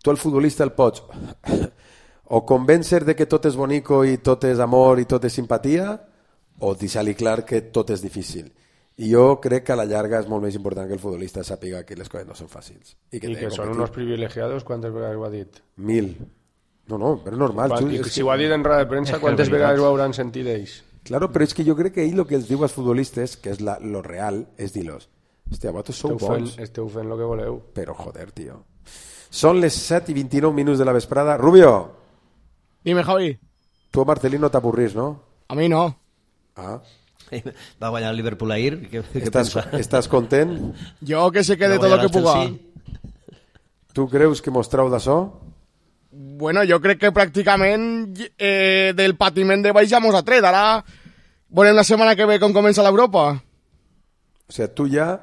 tu al futbolista el pots o convèncer de que tot és bonico i tot és amor i tot és simpatia, o deixar-li clar que tot és difícil. I jo crec que a la llarga és molt més important que el futbolista sàpiga que les coses no són fàcils. I que, I té que són competir. unos privilegiados, quantes vegades ho ha dit? Mil. No, no, però és normal. Quan, Xus, I és si que... ho ha dit en roda de premsa, quantes veritat. vegades ho hauran sentit ells? Claro, però és que jo crec que ell el que els diu als futbolistes, que és la, lo real, és dir-los, Hòstia, vosaltres sou Esteu fent, bons. esteu fent el que voleu. Però, joder, tio. Són les set i vint-i-nou minuts de la vesprada. Rubio, Dime, Javi. tu a Marcelí no t'avorrís, no? A mí no. Ah. Va guanyar el Liverpool ahir. Què, què Estàs, pensa? estàs content? Yo que se quede Va todo lo guanyar que el puga. Chelsea. Tu creus que mos trau d'açò? Bueno, yo creo que prácticamente eh, del patiment de baix ja mos ha tret. Ara volem la setmana que ve com comença l'Europa. O sigui, tu ja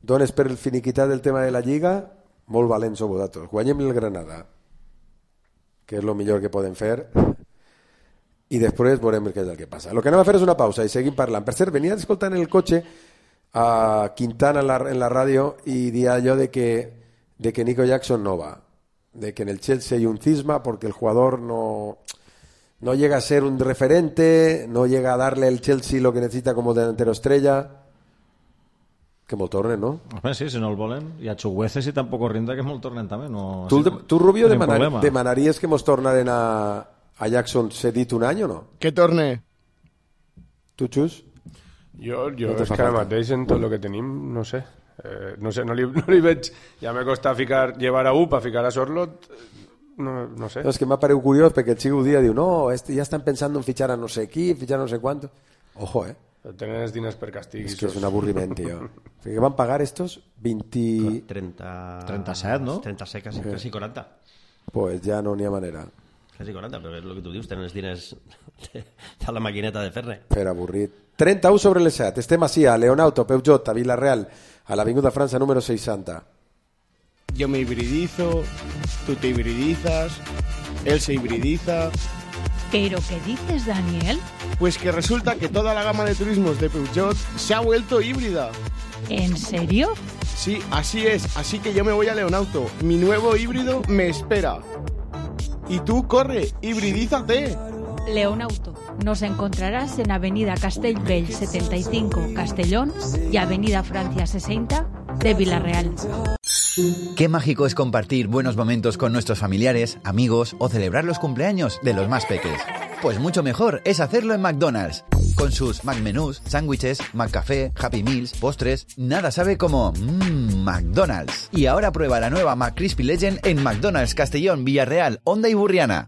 dones per el finiquitat del tema de la Lliga, molt valents sou vosaltres. Guanyem el Granada, que és el millor que podem fer, i després veurem què és el que passa. El que anem a fer és una pausa i seguim parlant. Per cert, venia escoltant en el cotxe a Quintana en la, en la ràdio i dia allò de que, de que Nico Jackson no va, de que en el Chelsea hay un cisma porque el jugador no, no llega a ser un referente, no llega a darle el Chelsea lo que necesita como delantero estrella. Que molt tornen, no? Home, sí, si no el volen. I a Chuguece, si tampoc rinda, que molt tornen també. No, Tu, sí, tu Rubio, tenim demanar, problema. demanaries que mos tornaren a, a Jackson cedit un any o no? Que torne. Tu, Xus? Jo, jo No te és fa que ara falta. mateix en tot el que tenim, no sé. Eh, no sé, no li, no li veig... Ja me costa ficar, llevar a U per ficar a Sorlot, no, no sé. No, és que m'ha paregut curiós perquè el xico un dia diu no, este, ja estan pensant en fitxar a no sé qui, fitxar a no sé quanto. Ojo, eh? Tenen els diners per castig. És que és un avorriment, tio. Que van pagar estos veinte... trenta... trenta-set, no? trenta-set, quasi, quasi quaranta. Pues ja no n'hi ha manera. Quasi quaranta, però és el que tu dius, tenen els diners de, de la maquineta de fer-ne. Per avorrit. trenta-u sobre les set. Estem així a Leonauto, Peugeot, a Villarreal, a l'Avinguda França número seixanta. Yo me hibridizo, tú te hibridizas, él se hibridiza. ¿Pero qué dices, Daniel? Pues que resulta que toda la gama de turismos de Peugeot se ha vuelto híbrida. ¿En serio? Sí, así es. Así que yo me voy a Leonauto. Mi nuevo híbrido me espera. Y tú, corre, hibridízate. Leonauto. Nos encontrarás en Avenida Castellbell setenta y cinco, Castellón, y Avenida Francia sesenta de Villarreal. Qué mágico es compartir buenos momentos con nuestros familiares, amigos o celebrar los cumpleaños de los más peques. Pues mucho mejor es hacerlo en McDonald's. Con sus McMenús, sándwiches, McCafé, Happy Meals, postres, nada sabe como mmm, McDonald's. Y ahora prueba la nueva McCrispy Legend en McDonald's Castellón, Villarreal, Honda y Burriana.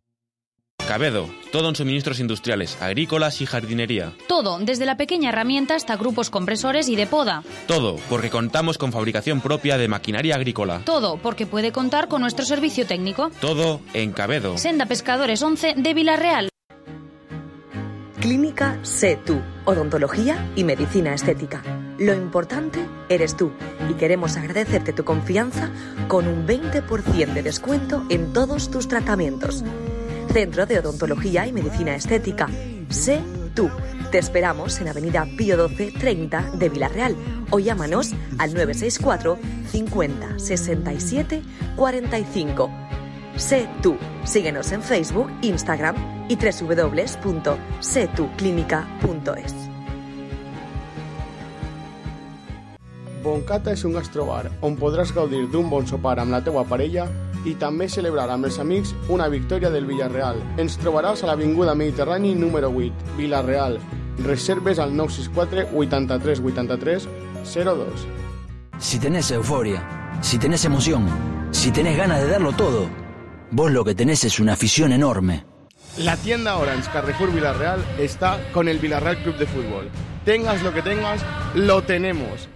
Cabedo, todo en suministros industriales, agrícolas y jardinería. Todo, desde la pequeña herramienta hasta grupos compresores y de poda. Todo, porque contamos con fabricación propia de maquinaria agrícola. Todo, porque puede contar con nuestro servicio técnico. Todo en Cabedo. Senda Pescadores once de Villarreal. Clínica Sé Tú, odontología y medicina estética. Lo importante eres tú y queremos agradecerte tu confianza con un veinte por ciento de descuento en todos tus tratamientos. Centro de Odontología y Medicina Estética. Sé Tú. Te esperamos en Avenida Pío doce treinta de Villarreal o llámanos al nueve seis cuatro cincuenta sesenta y siete cuarenta y cinco. Sé Tú. Síguenos en Facebook, Instagram y doble u doble u doble u punto sé tú clínica punto es. Boncata és un gastrobar on podràs gaudir d'un bon sopar amb la teua parella i també celebrar amb els amics una victòria del Villarreal. Ens trobaràs a l'Avinguda Mediterrani número vuit, Villarreal. Reserves al nou sis quatre vuitanta-tres vuitanta-tres cero dos. Si tenés euforia, si tenés emoción, si tenés ganas de darlo todo, vos lo que tenés es una afición enorme. La tienda Orange Carrefour Villarreal está con el Villarreal Club de Fútbol. Tengas lo que tengas, lo tenemos.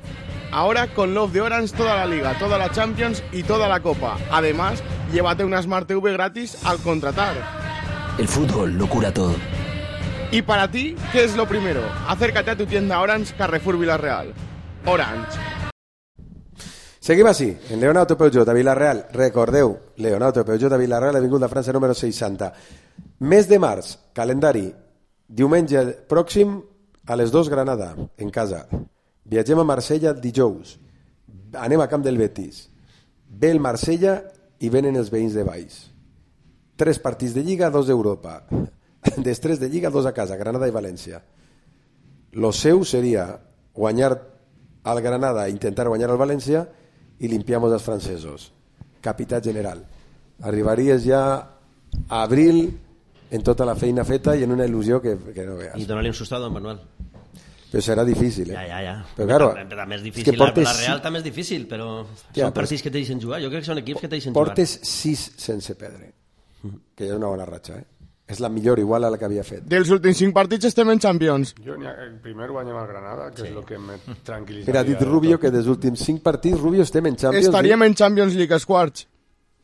Ahora con Love de Orange toda la Liga, toda la Champions y toda la Copa. Además, llévate una Smart T V gratis al contratar. El fútbol lo cura todo. Y para ti, ¿qué es lo primero? Acércate a tu tienda Orange Carrefour Villarreal. Orange. Seguim així, en Leonauto Peugeot a Villarreal. Recordeu, Leonauto Peugeot a Villarreal, Avinguda França número seixanta. Mes de març, calendari. Diumenge pròxim a les dues Granada, en casa. Viatgem a Marsella dijous. Anem a Camp del Betis. Ve el Marsella i venen els veïns de Valls. Tres partits de Lliga, dos d'Europa. Després de Lliga, dos a casa, Granada i València. Lo seu seria guanyar al Granada, intentar guanyar al València i limpiamos els francesos. Capità general. Arribaries ja a abril en tota la feina feta i en una il·lusió que, que no veas. I donar-li un sustado a en Manuel. Però serà difícil, eh? Ja, ja, ja. Però, claro, també, també és difícil. És portes... La Real també és difícil, però ja, són partits però... que te deixen jugar. Jo crec que són equips que te deixen jugar. Portes sis sense perdre, que ja és una bona ratxa, eh? És la millor, igual a la que havia fet. Dels últims cinc partits estem en Champions. Jo ha, primer guanyem el Granada, que sí. És el que me tranquil·litzaria. Mira, ha dit Rubio que dels últims cinc partits, Rubio, estem en Champions. Estaríem en Champions League, els quarts.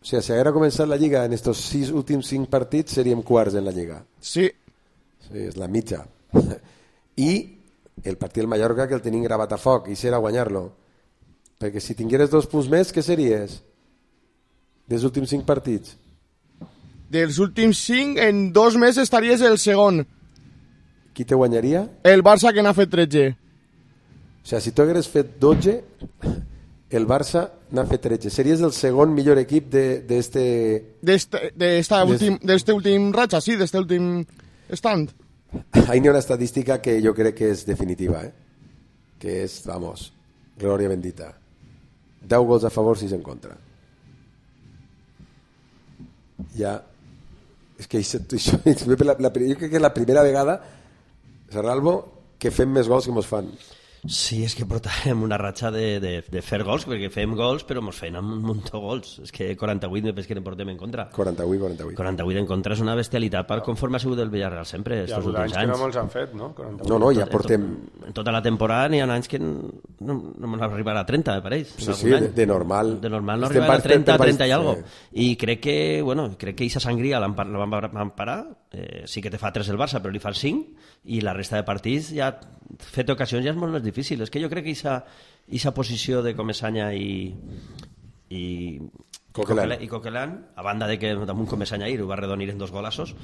O sigui, si haguera començat la Lliga en estos sis últims cinc partits, seríem quarts en la Lliga. Sí. Sí, és la mitja. I el partit del Mallorca, que el tenim gravat a foc, i serà guanyar-lo. Perquè si tingueres dos punts més, què series? Dels últims cinc partits? Dels últims cinc, en dos més estaries el segon. Qui te guanyaria? El Barça, que n'ha fet tretze. O sigui, si tu hagueres fet dotze, el Barça n'ha fet tretze. Series el segon millor equip d'este... D'este últim, últim ratxa, sí, d'este últim stand. Ahí n'hi ha una estadística que jo crec que és definitiva, eh? Que és, vamos, glòria bendita. deu gols a favor, sis en contra. Ja... És que això, això, la, la, jo crec que és la primera vegada, Serralvo, que fem més gols que mos fan. Sí, és que portàvem una ratxa de, de, de fer gols, perquè fem gols, però mos feien un munt de gols. És que quaranta-vuit me penso que en portem en contra. quaranta-vuit, quaranta-vuit. quaranta-vuit en contra és una bestialitat per conforme ha sigut el Villarreal sempre, estos últims anys. Hi ha anys que no molts han fet, no? quaranta-vuit. No, no, ja portem... En, en tota la temporada n'hi ha anys que no, no m'han arribat a trenta, me pareix. Sí, sí, de, de normal. De normal no arribat a trenta, trenta i algo. I crec que, bueno, crec que aquesta sangria la van parar, eh, sí que te fa tres el Barça, però li fa cinc, i la resta de partits ja fet ocasions ja és molt més difícil. És que jo crec que aquesta posició de Comesaña i i Coquelin. i Coquelin, a banda de que damunt Comesaña ahir ho va redonir en dos golassos,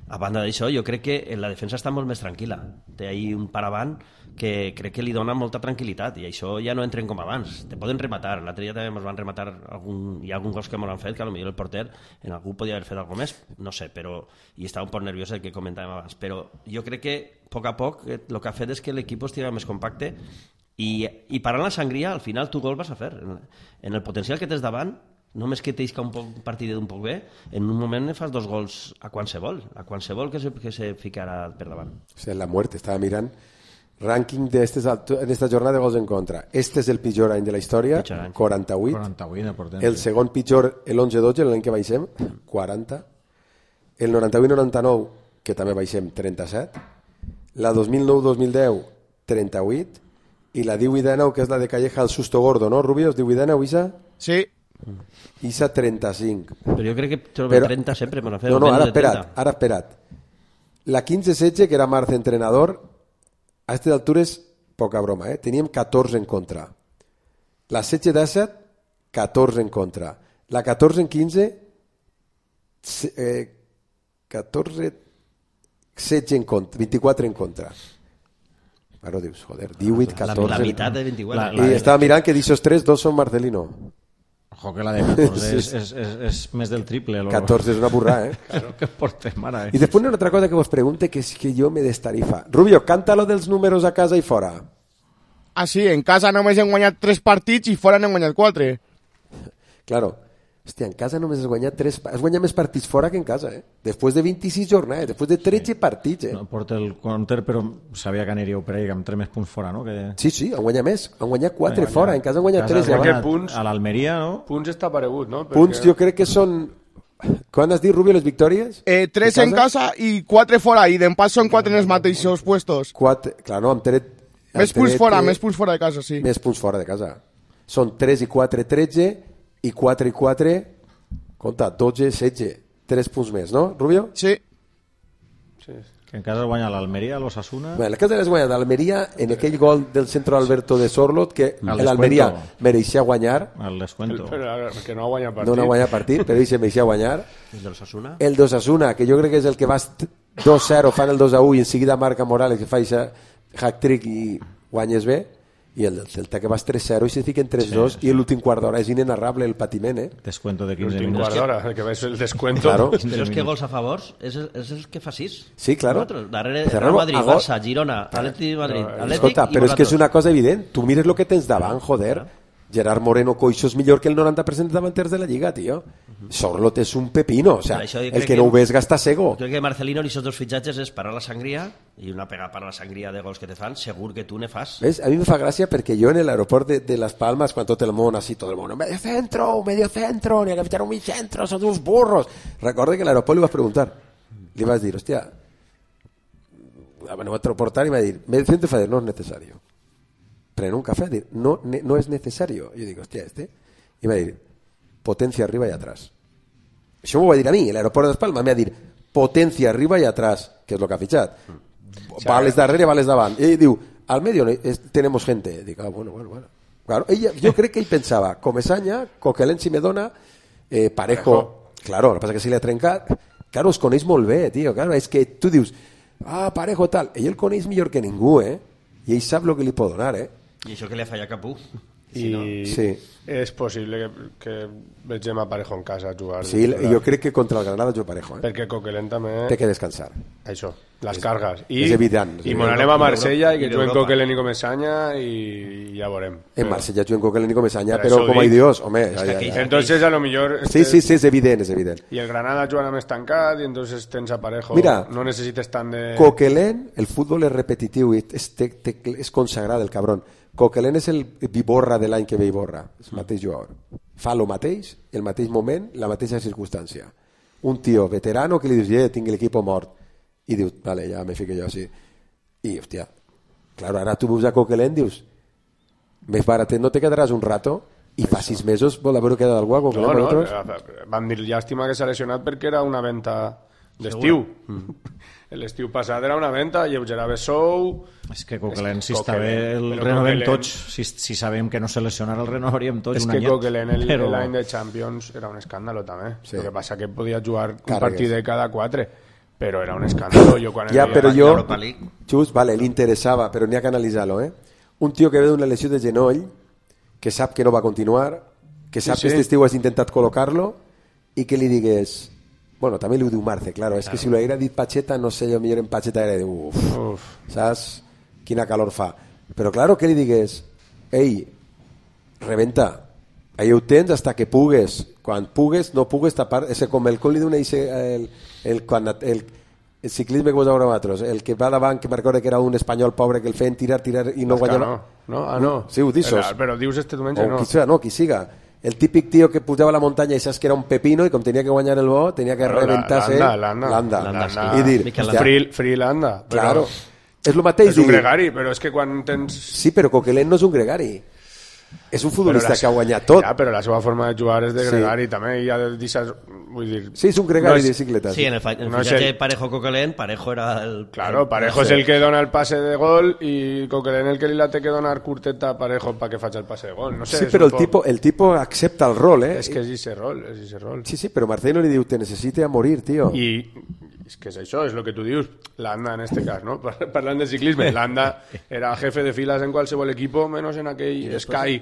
a banda d'això jo crec que la defensa està molt més tranquil·la, té ahí un paravant que crec que li dona molta tranquil·litat, i això ja no entren com abans, te poden rematar, l'altre dia també ens van rematar algun, hi ha alguns gols que m'ho han fet que potser el porter en algú podia haver fet alguna més, no sé, però i estava un poc nerviós el que comentàvem abans, però jo crec que a poc a poc el que ha fet és que l'equip estigui més compacte i, i parant la sangria al final tu gol vas a fer en, en el potencial que tens davant, només que t'isca un poc partit d'un poc bé, en un moment ne fas dos gols a qualsevol, a qualsevol que se, que se ficarà per davant. O sigui, la muerte, estava mirant rànquing d'esta jornada de gols en contra. Este és el pitjor any de la història, quaranta-vuit. quaranta-vuit el segon pitjor, l'onze dotze, l'any que baixem, quaranta. El noranta-vuit noranta-nou, que també baixem, trenta-set. La dos mil nou dos mil deu, trenta-vuit. I la divuit dinou, que és la de Calleja, el susto gordo, no, Rubio? divuit dinou, Isa? Sí. Isa trenta-cinc. Però jo crec que trobo Però... trenta sempre me la feu. No, no, ara espera't, ara espera't. La quinze setze, que era Marce entrenador, a aquestes altures, poca broma, eh? Teníem catorze en contra. La setze disset, catorze en contra. La catorze quinze, eh, catorze, setze en contra, vint-i-quatre en contra. Ara dius, joder, divuit, catorze... La, la meitat de vint-i-quatre. La, la, I estava mirant que d'aixòs tres, dos són Marcelino. Ojo que la de catorze és, és, és, és més del triple. Lo... catorze és una burra, eh? Claro que portem ara. Eh? I després una altra cosa que vos pregunte, que és que jo me destarifa. Rubio, canta-lo dels números a casa i fora. Ah, sí, en casa només hem guanyat tres partits i fora n'hem guanyat quatre. Claro. Hòstia, en casa només has guanyat tres... Has guanyat més partits fora que en casa, eh? Després de vint-i-sis jornades, després de tretze sí. partits, eh? No porta el counter, però sabia que aniríeu per ahí, que amb tres més punts fora, no? Que... Sí, sí, han guanyat més. Han guanyat quatre guanyat... fora, en casa han guanyat casa tres. Guanyat punts, a l'Almeria, no? Punts està aparegut, no? Perquè... Punts jo crec que són... Quan has dit, Rubio, les victòries? Eh, tres en casa i quatre fora, i d'empat són quatre en els mateixos puestos. Quatre, clar, no, amb tret... Més punts fora, més punts fora de casa, sí. Més punts fora de casa. Són tres i quatre, tretze, i quatre i quatre... Compte, dotze, setze, tres punts més, no, Rubio? Sí. sí. Que en casa guanya l'Almeria, l'Osasuna... Bé, en casa les guanya l'Almeria en aquell gol del centro Alberto de Sorlot, que l'Almeria mereixia guanyar. El descuento. Però que no ha guanyat partit. No, no ha guanyat partit, però ell se mereixia guanyar. El de l'Osasuna? El d'Osasuna, que jo crec que és el que vas dos zero, fan el dos a u i en seguida marca Morales, que fa aquest hat-trick i guanyes bé. I el Celta que vas tres zero i se fiquen tres dos sí, sí. I l'últim quart d'hora és inenarrable el patiment, eh? Descuento de quinze minuts. L'últim quart d'hora, el que va ser el descuento. Claro. Però és que gols a favors és, és el que fa sis. Sí, claro. Nosotros, darrere Real Madrid, Barça, Girona, Atlètic de Madrid, Atlètic... Escolta, però és que és una cosa evident. Tu mires el que tens davant, joder. Gerard Moreno Coixo és millor que el noranta per cent de davanters de la Lliga, tio. Sorlot és un pepino, o sea, el que, que no ho ves gasta cego. Crec que Marcelino i aquests dos fitxatges és parar la sangria i una pega para la sangria de gols que te fan, segur que tu ne fas. ¿Ves? A mí me fa gràcia perquè jo en l'aeroport de, de Las Palmas, quan tot el món, así tot el món, medio centro, medio centro, ni a que fichar un medio centro, son uns burros. Recorde que en l'aeroport li vas preguntar, li vas dir, hòstia, me vaig transportar i me va dir, medio centro, fa dir, no és necessari. Pren un café, dir, no, no es necesario. Yo digo, hostia, este. Y me va a decir, potencia arriba y atrás. Això m'ho va dir a mi, l'aeroport de Palma, me va dir, potencia arriba y atrás, que és lo que ha fitxat. Mm. Vales darrere, vales davant. I ell diu, al medio tenemos gente. Dic, ah, bueno, bueno, bueno. Claro, ella, jo crec que ell pensava, Comesaña, Coquelin si me dona, eh, Parejo, Parejo, claro, el que passa que si l'ha trencat, claro, es coneix molt bé, tio, claro, és que tu dius, ah, Parejo tal, ell el coneix millor que ningú, eh? I ell sap el que li pot donar, eh? I això que li ha fallat Capú. I no? Sí. És possible que, que vegem a Parejo en casa jugar. Sí, jo crec que contra el Granada jo Parejo. Eh? Perquè Coquelin també... Té que descansar. Això, les és, cargues. I, és evident. I mon anem a Marsella i que juguen Coquelin i Comesaña i ja veurem. En Marsella juguen Coquelin i Comesaña, però com a Dios, home... Ja, ja, ja. Entonces a lo millor... Sí, sí, sí, és evident, és evident. I el Granada jugant més tancat i entonces tens a Parejo. Mira, no necessites tant de... Coquelin, el futbol és repetitiu i és, te, te, és consagrat, el cabron. Coquelin és el Viborra de l'any que ve Iborra, és el mateix jugador. Fa el mateix, el mateix moment, la mateixa circumstància. Un tio veterano que li dius, eh, tinc l'equip mort. I dius, vale, ja me fico jo així. I, hòstia, claro, ara tu veus a Coquelin, dius, més baratet no te quedaràs un rato i fa sis mesos vol haver-ho quedat algú a Coquelin. No, no, vam dir llàstima que s'ha lesionat perquè era una venta d'estiu. Mm. L'estiu passat era una venta, lleugerava sou... És que Coquelin, si està bé, el renovem tots. Si, si sabem que no se lesionarà, el renovaríem tots un anyet. És que Coquelin l'any de Champions era un escàndalo també. Sí. El que passa que podia jugar un partit de cada quatre, però era un escàndalo. Jo quan ja, però jo, just, vale, li interessava, però n'hi ha que analitzar-lo, eh? Un tio que ve d'una lesió de genoll, que sap que no va continuar, que sap sí, sí. que aquest estiu has intentat col·locar-lo i que li digués... Bueno, també li ho diu Marce, claro, és claro. Que si ho haguera dit Pacheta, no sé, jo millor en Pacheta era de uf, uf, saps? Quina calor fa. Però claro, que li digués, ei, rebenta, ahí ho tens hasta que pugues, quan pugues, no pugues tapar, és com el com li dona el, el, el, el, el ciclisme que vos veure nosaltres, el que va davant, que me recorda que era un espanyol pobre que el feien tirar, tirar i no guanyava. No, no, ah, no. Sí, ho dissos. Però dius este diumenge, no. Qui siga, no, qui siga. El típic tío que pujava a la muntanya i saps que era un pepino i com tenia que guanyar el bo tenia que reventar-se l'anda, l'anda i dir, free, free l'anda claro, és el mateix és un gregari, però és que quan tens sí, però Coquelin no és un gregari, és un futbolista la, que ha guanyat tot. Ja, però la seva forma de jugar és de gregari, sí. També hi ha de deixar, vull dir... Sí, és un gregari no és, de bicicleta. Sí, en el, el no fitxatge el... Parejo-Coquelin, Parejo era el... Claro, Parejo és el que dona el passe de gol i Coquelin el que li la té que donar curteta a Parejo para que faci el passe de gol. No sé, sí, però el, poc... tipo, el tipo accepta el rol, eh? És que és ese rol, és ese rol. Sí, sí, però Marcelo li diu, te necessite a morir, tio. I... és que és això, és el que tu dius, l'Anda en este cas, no? Parlant de ciclisme, l'Anda era jefe de filas en qualsevol equipo, menos en aquell Sky,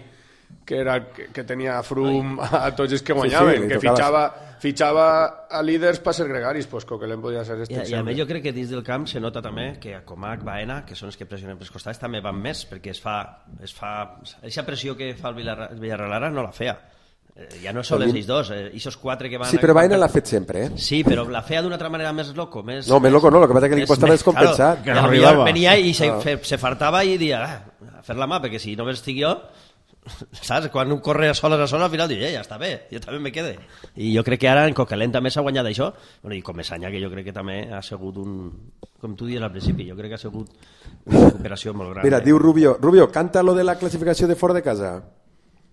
que era que, que tenia Froome a tots els que guanyaven, sí, sí, que fitxava, fitxava a líders per ser gregaris, pues Coquelin podia ser este. I, i a més jo crec que dins del camp se nota també que a Comac, Baena, que són els que pressionen pels costats, també van més, perquè es fa, es fa, aquesta pressió que fa el Villarreal ara no la feia. Ja no són ells dos, eh, esos quatre que van... Sí, però Baena l'ha fet sempre, eh? Sí, però la feia d'una altra manera més loco, més... No, més loco no, el que passa que l'equip estava descompensat. Claro, que no arribava. Venia i se, ah. se fartava i dia, ah, a fer la mà, perquè si només estic jo, saps? Quan un corre a soles a soles, al final diu, eh, ja està bé, jo també me quede. I jo crec que ara en Coquelin també s'ha guanyat això, bueno, i Comesaña, que jo crec que també ha sigut un... Com tu dius al principi, jo crec que ha sigut una recuperació molt gran. Mira, eh? Diu Rubio, Rubio, canta lo de la classificació de fora de casa.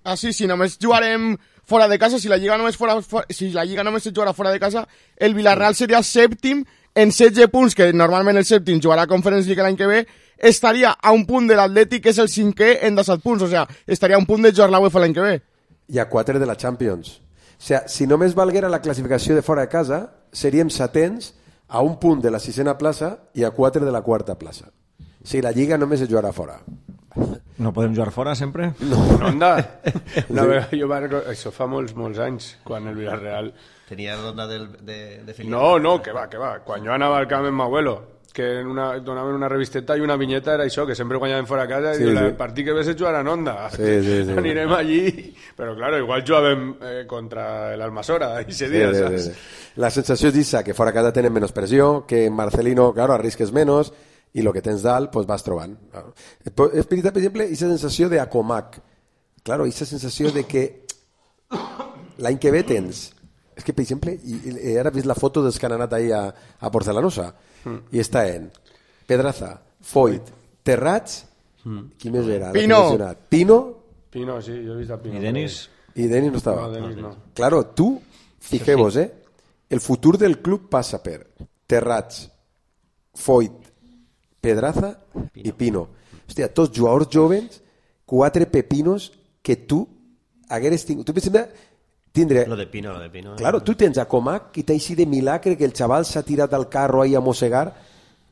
Ah, sí, si només jugarem fora de casa, si la Lliga només, fora, fora, si la Lliga només es jugarà fora de casa, el Villarreal seria sèptim en setze punts, que normalment el sèptim jugarà a Conference League l'any que ve, estaria a un punt de l'Atlètic, que és el cinquè, en disset punts, o sea, estaria a un punt de jugar la UEFA l'any que ve. I a quatre de la Champions. O sea, si només valguera la classificació de fora de casa, seríem setents a un punt de la sisena plaça i a quatre de la quarta plaça. Si la Lliga només es jugarà fora. No podem jugar fora sempre? No, no anda. Una vegada, jo va, això fa molts, molts anys, quan el Villarreal... Tenia ronda del, de, de Felipe. No, no, que va, que va. Quan jo anava al camp amb mi abuelo, que en una, donaven una revisteta i una vinyeta era això, que sempre guanyaven fora a casa i Sí, sí, sí. el partit que ves és jugar en Onda. Sí, sí, sí. Anirem allí, però claro, igual jugàvem eh, contra l'Almasora ese Sí, dia, sí, saps? sí, sí. La sensació és esa, que fora a casa tenen menys pressió, que en Marcelino, claro, arrisques menos, i el que tens dalt, pues vas trobant. Claro. És veritat, per exemple, aquesta sensació de Acomac. Claro, aquesta sensació de que l'any que ve tens... És que, per exemple, i, i ara he vist la foto dels que han anat ahir a, a Porcelanosa, mm. i està en Pedraza, Foyt, Terrats, mm. qui més era? Pino. Pino. Pino, sí, jo he vist a Pino. I Denis? I Denis no estava. No, Denis no. Claro, tu, fijeu-vos, eh? El futur del club passa per Terrats, Foyt, Pedraza i Pino. Hòstia, tots jugadors joves, quatre pepinos que tu hagueres tingut. Tu, per exemple, tindre... Lo de Pino, lo de Pino. Claro, tu tens a Comac i t'així de milagre que el xaval s'ha tirat al carro ahí a mossegar,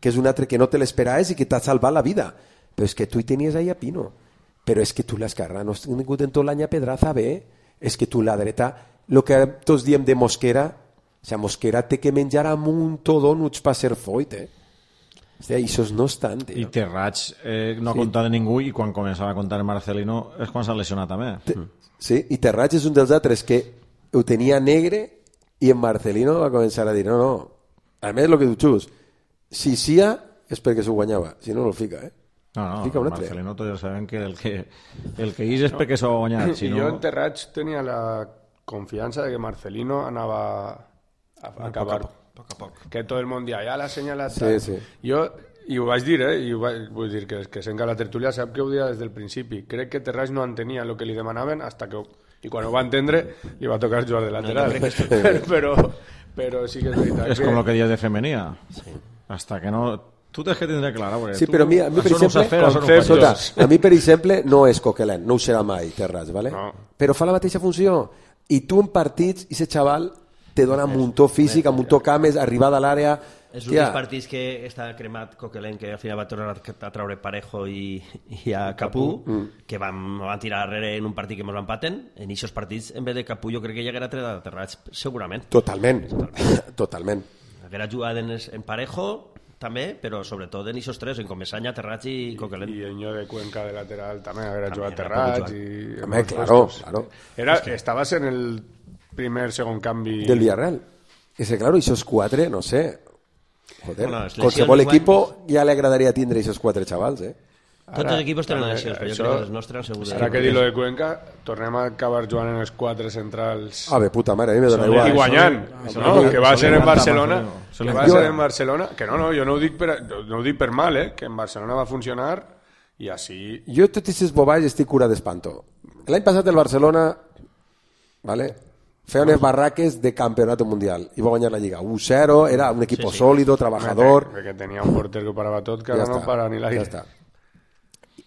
que és un altre que no te l'esperaves i que t'ha salvat la vida. Però és que tu hi tenies ahí a Pino. Però és que tu l'esquerra no has tingut en tot l'any a Pedraza bé. És que tu la dreta, el que tots diem de Mosquera, o sigui, Mosquera té que menjar amunt donuts per ser Foyt, eh? Hòstia, això no estan, tio. I Terrats eh, no ha Sí. comptat de ningú i quan començava a comptar Marcelino és quan s'ha lesionat també. Te- Sí, i Terrats és un dels altres que ho tenia negre i en Marcelino va començar a dir no, no, a més el que tu xus si sia és perquè s'ho guanyava si no no el fica, eh? No, no, Fica un altre. Marcelino tots ja sabem que el que, el que és és perquè s'ho ha guanyat. Si I no... jo en Terrats tenia la confiança de que Marcelino anava a, a acabar. Poc a poc. Que tot el món dia, ja l'ha assenyalat. Sí, tal. sí. Jo, i ho vaig dir, eh? I ho vaig, vull dir que, que sent que la tertúlia sap que ho dia des del principi. Crec que Terrats no entenia el que li demanaven hasta que... I quan ho va entendre, li va tocar jugar de lateral. No, no però, però, però sí que és veritat És que... com el que dies de femenina. Sí. Hasta que no... Tu tens que tindre clar, perquè Sí, tu... però a mi, a mi per això no ho exemple, saps fer, això no ho conceptos. faig. Escolta, a mi per exemple no és Coquelin, no ho serà mai Terrats, ¿vale? No. Però fa la mateixa funció i tu en partits, i ese xaval te dona un muntó físic, un muntó cames, arribada a l'àrea. És un dels partits que està cremat Coquelin, que al final va tornar a traure Parejo i, i a Capú, mm. que van, van tirar darrere en un partit que ens empaten. En aquests partits, en vez de Capú, jo crec que ja haguera tret a Terrats, segurament. Totalment, totalment. Haguera jugat en, en Parejo, també, però sobretot en aquests tres, en Comesaña, Terrats i Coquelin. I Eño de Cuenca de lateral també haguera També jugat era Terrats. poc I... Home, claro, claro. Era, estaves en el primer, segon canvi... Del Villarreal. Ese, claro, esos quatre, no sé. Joder, Bueno, les qualsevol lesions, equipo ja li agradaria tindre esos quatre xavals, eh? Tots els equipos tenen lesions, però jo això- crec que els nostres segur. Ara que dir lo de Cuenca, tornem a acabar jugant en els quatre centrals Ah, bé, puta mare, a mi me dona i igual. guanyant, Això no? li- Que va això ser li en encanta, Barcelona, Marcelino. Això que li va encanta. ser en Barcelona, que no, no, jo no ho dic per, no ho dic per mal, eh? Que en Barcelona va funcionar i així... Jo tot aquestes boballes estic cura d'espanto. L'any passat el Barcelona, vale, feia unes barraques de campeonato mundial i va guanyar la Lliga. u cero, era un equipo Sí, sí. sólido, trabajador... Que tenia un porter que ho parava tot, que ara Ja no està, para ni l'aire. ja està.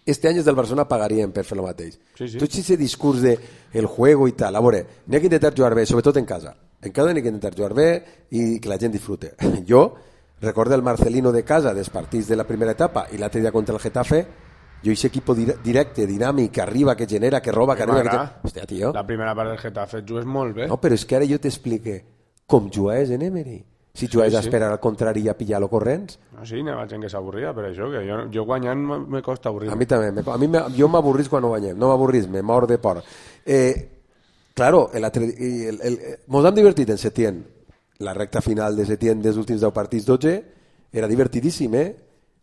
Este any els del Barcelona pagarien per fer el mateix. Sí, sí. Tot aquest discurs de el juego i tal, a veure, n'hi ha que intentar jugar bé, sobretot en casa. En casa n'hi ha que intentar jugar bé i que la gent disfrute. Jo recordo el Marcelino de casa dels partits de la primera etapa i l'altre dia contra el Getafe, jo aquest equip directe, dinàmic, que arriba, que genera, que roba, que arriba... Que... M'agrada. Hòstia, tio. La primera part del Getafe jugues molt bé. No, però és que ara jo t'explique com jugaves en Emery. Si jugaves Sí, a sí. esperar al contrari i a pillar-lo corrents, No, sí, n'hi ha gent que s'avorria per això, que jo, jo guanyant me, me costa avorrir. a mi també. Me, a mi me, jo m'avorrís quan no guanyem. No m'avorrís, me mor de por. Eh, claro, el, el, el, el, mos hem divertit en Setién. La recta final de Setién dels últims deu partits dotze era divertidíssim, eh?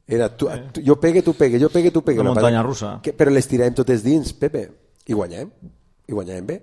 Era tu, tu, jo pegue, tu pegue, jo pegue, tu pegue. Una La muntanya part- russa. Que, però les tiràvem totes dins, Pepe. I guanyem. I guanyem bé.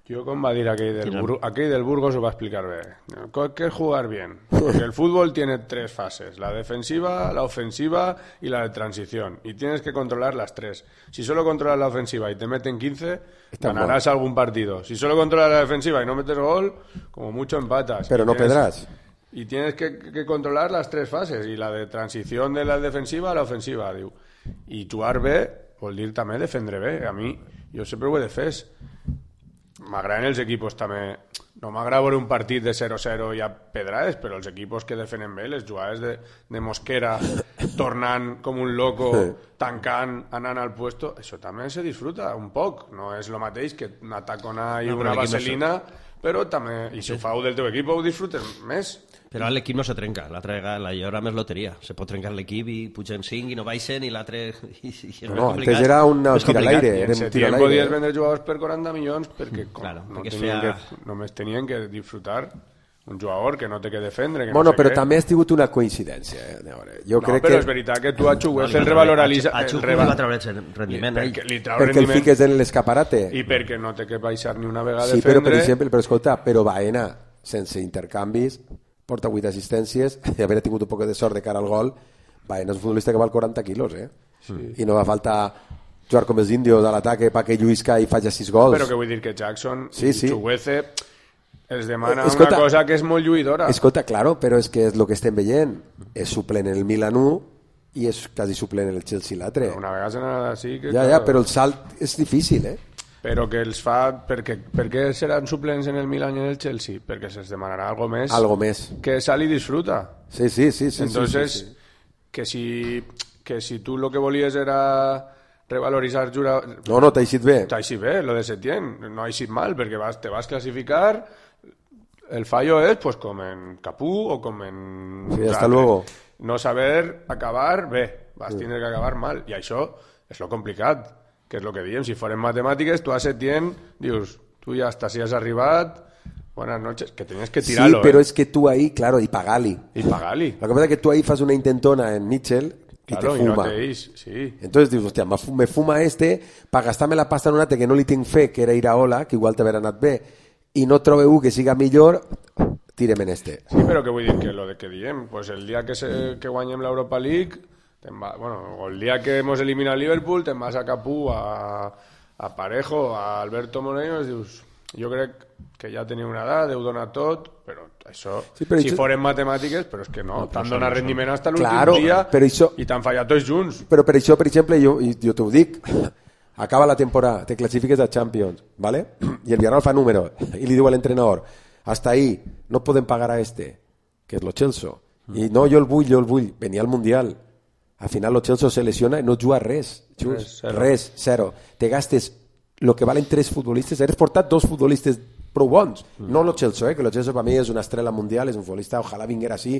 Yo, como va a decir aquel del, Bur aquel del Burgos, os va a explicar bien. ¿Qué es jugar bien? Porque el fútbol tiene tres fases: la defensiva, la ofensiva y la de transición. Y tienes que controlar las tres. Si solo controlas la ofensiva y te meten quince, Está ganarás mal. algún partido. Si solo controlas la defensiva y no metes gol, como mucho empatas. Pero Y no tienes- pedrás. Y tienes que, que controlar las tres fases. Y la de transición de la defensiva a la ofensiva. Diu. I jugar bé vol dir també defendre bé. A mi, jo sempre ho he defès. M'agraden els equipos també. No m'agrada veure un partit de zero zero i a pedrades, però els equipos que defenen bé, les jugades de, de Mosquera, tornant com un loco, tancant, anant al puesto, això també se disfruta un poc. No és el mateix que una tacona i No, però una l'equip no vaselina, però també, i si ho feu del teu equip ho disfrutes més. Però l'equip no se trenca, l'altra vegada hi haurà més loteria. Se pot trencar l'equip i pugen cinc i no baixen i l'altre... No, antes era un tir a l'aire. En setembre podies vendre jugadors per quaranta milions perquè, claro, no perquè tenien feia... que, només tenien que disfrutar un jugador que no té que defendre. Que bueno, no sé però què. també ha sigut una coincidència. Eh? Jo no, crec però que... és veritat que tu a Chuguez el revaloritzes... A Chuguez li va treure rendiment. Perquè, li trau perquè rendiment, el fiques en l'escaparate. I perquè no té que baixar ni una vegada sí, defendre. Però, per exemple, però escolta, però Baena, sense intercanvis, porta vuit assistències, i haver tingut un poc de sort de cara al gol, Baena és un futbolista que val quaranta quilos, eh? Sí. I no va faltar jugar com els índios a l'ataque perquè lluïsca i faci sis gols. Però que vull dir que Jackson sí, sí. i Chuguez els demana escolta, una cosa que és molt lluïdora. Escolta, claro, però és que és el que estem veient. És suplent en el Milan u i és quasi suplent en el Chelsea l'altre. Una vegada se n'ha sí que... Ja, ja, però el salt és difícil, eh? Però que els fa... Perquè, per què seran suplents en el Milan i en el Chelsea? Perquè se'ls demanarà algo més. Algo més. Que sal i disfruta. Sí, sí, sí. sí Entonces, sí, sí, sí. Que, si, que si tu lo que volies era revaloritzar... Jura... No, no, t'ha eixit bé. T'ha eixit bé, lo de Setién. No ha eixit mal, perquè vas, te vas classificar... El fallo es pues com en Capú o com en... Sí, hasta luego. No saber acabar bé, vas sí. tindre que acabar mal. I això és lo complicat, que és lo que diem. Si foren matemàtiques, tu a Setién dius, tu ja hasta si has arribat, buenas noches, que tenies que tirarlo. Sí, pero eh? es que tú ahí, claro, y Pagali. Y Pagali. Lo que pasa es que tú ahí fas una intentona en Mitchell y claro, te fuma. Y no te is, sí. Entonces dius, hostia, me fuma este para gastar-me la pasta en un altre que no li tinc fe, que era Iraola, que igual t'haver anat bé, i no trobe un que siga millor, tirem en este. Sí, però que vull dir que lo de que diem, pues el dia que, se, que guanyem l'Europa League, va, bueno, o el dia que hemos eliminat el Liverpool, te'n vas a Capú, a, a Parejo, a Alberto Moreno, i dius, jo crec que ja teniu una edat, heu donat tot, però això, sí, però si això... foren matemàtiques, però és que no, no t'han donat rendiment fins a l'últim claro, dia això... i t'han fallat tots junts. Però per això, per exemple, jo, jo t'ho dic, acaba la temporada, te clasifiques a Champions, ¿vale? Y el Villarreal fa número, y le diu al entrenador, hasta ahí, no podem pagar a este, que és lo Chelsea. I no, jo el vull, jo el vull, venia al Mundial. Al final lo Chelsea se lesiona i no juga res, just, res, res, zero. Te gastes lo que valen tres futbolistes, eres portat dos futbolistes prou bons, mm. no lo Chelsea, eh? Que lo Chelsea per mi és una estrella mundial, és un futbolista, ojalà vinguera així,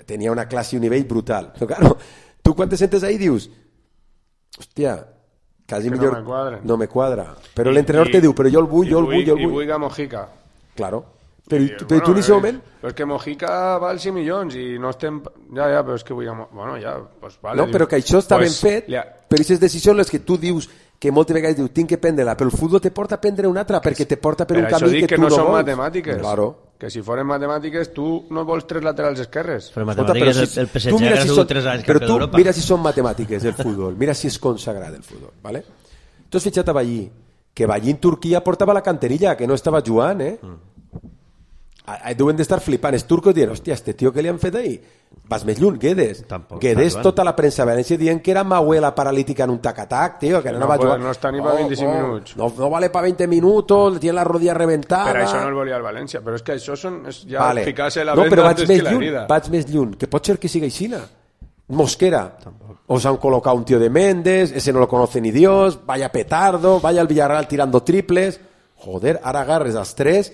tenia una classe i un nivell brutal. Però claro, tu quan te sentes ahí dius, hòstia, quasi que millor, no me quadra, no me quadra. Però l'entrenador te diu, però jo el vull, jo el vull, jo el vull. I vull a Mojica. Claro. Però, I, però bueno, tu en aquest moment... Però és que Mojica val cinc milions i no estem... Ja, ja, però és que vull... A... Bueno, ja, pues vale. No, però que això està pues, ben fet, ja. però aquestes decisions les que tu dius que moltes vegades dius, tinc que prendre-la, però el futbol te porta a prendre una altra, perquè te porta per, per un camí que, que tu no no són vols. Matemàtiques. Claro. Que si foren matemàtiques, tu no vols tres laterals esquerres. Però matemàtiques, Escolta, però si, el P S G ha si sigut tres anys però campió tu d'Europa. mira si són matemàtiques el futbol, mira si és consagrat el futbol, ¿vale? Tu has fitxat a Ballí, que Ballí en Turquia portava la canterilla, que no estava jugant, eh? Mm. Deuen d'estar flipant els turcos dient, hòstia, este tio que li han fet ahí? Vas més lluny, Guedes. Tampoc Guedes, tota la premsa a València dient que era Mahuela paralítica en un tac-a-tac, tío, que no, no va a jugar. No està ni per vint-i-cinc oh, minuts. No, no vale per vint minuts, tiene la rodilla reventada. Per això no el volia el València, però és que això són, és ja vale. ficar-se la no, venda però vaig antes més que la lluny, herida. vaig més lluny, que pot ser que siga aixina. Mosquera. Tampoc. Os han colocado un tío de Méndez, ese no lo conoce ni Dios, vaya petardo, vaya al Villarreal tirando triples. Joder, ara agarres els tres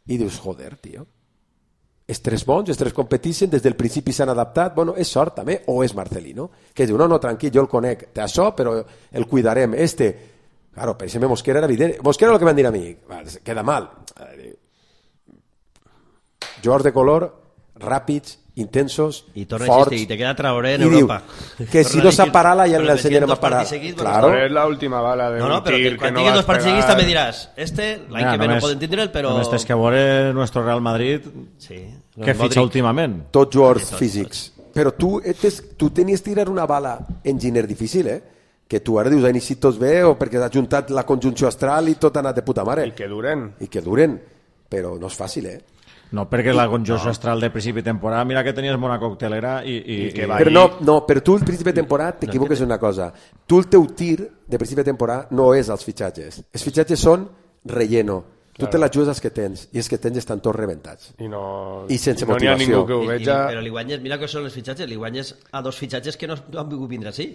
i dius, joder, tio. Els tres bons, els tres competeixen, des del principi s'han adaptat, bueno, és sort també, o és Marcelino, que diu, no, no, tranquil, jo el conec, té això, però el cuidarem, este, claro, per exemple, Mosquera era evident, Mosquera el que van dir a mi, queda mal, jugadors de color, ràpids, intensos, y forts, y te queda Traoré en y Europa. Diu, que si no s'ha parat la ja l'ensenyarem a parar. Claro. És l'última bala de no, no, un tir que, que no vas vas dos partits seguits pegar. també diràs, este, l'any ja, que ve només, no poden tindre'l, però... Només tens que veure nuestro Real Madrid sí, que fitxa últimament. Tots jugadors físics. Però tu, etes, tu tenies que tirar una bala enginyer difícil, eh? Que tu ara dius, han eixit tots bé o perquè t'ha juntat la conjunció astral i tot ha anat de puta mare. I que duren. I que duren. Però no és fàcil, eh? No, perquè la conjunció no. astral de principi de temporada, mira que tenies bona coctelera i... i, I que i... Però no, no, però tu al principi de temporada t'equivoques en una cosa. Tu el teu tir de principi de temporada no és els fitxatges. Els fitxatges són relleno. Tu claro. te la jugues als que tens i els que tens estan tots rebentats. I, no, I sense no motivació. N'hi ha ningú que ho veja... I, però li guanyes, mira que són els fitxatges, li guanyes a dos fitxatges que no han vingut vindre així.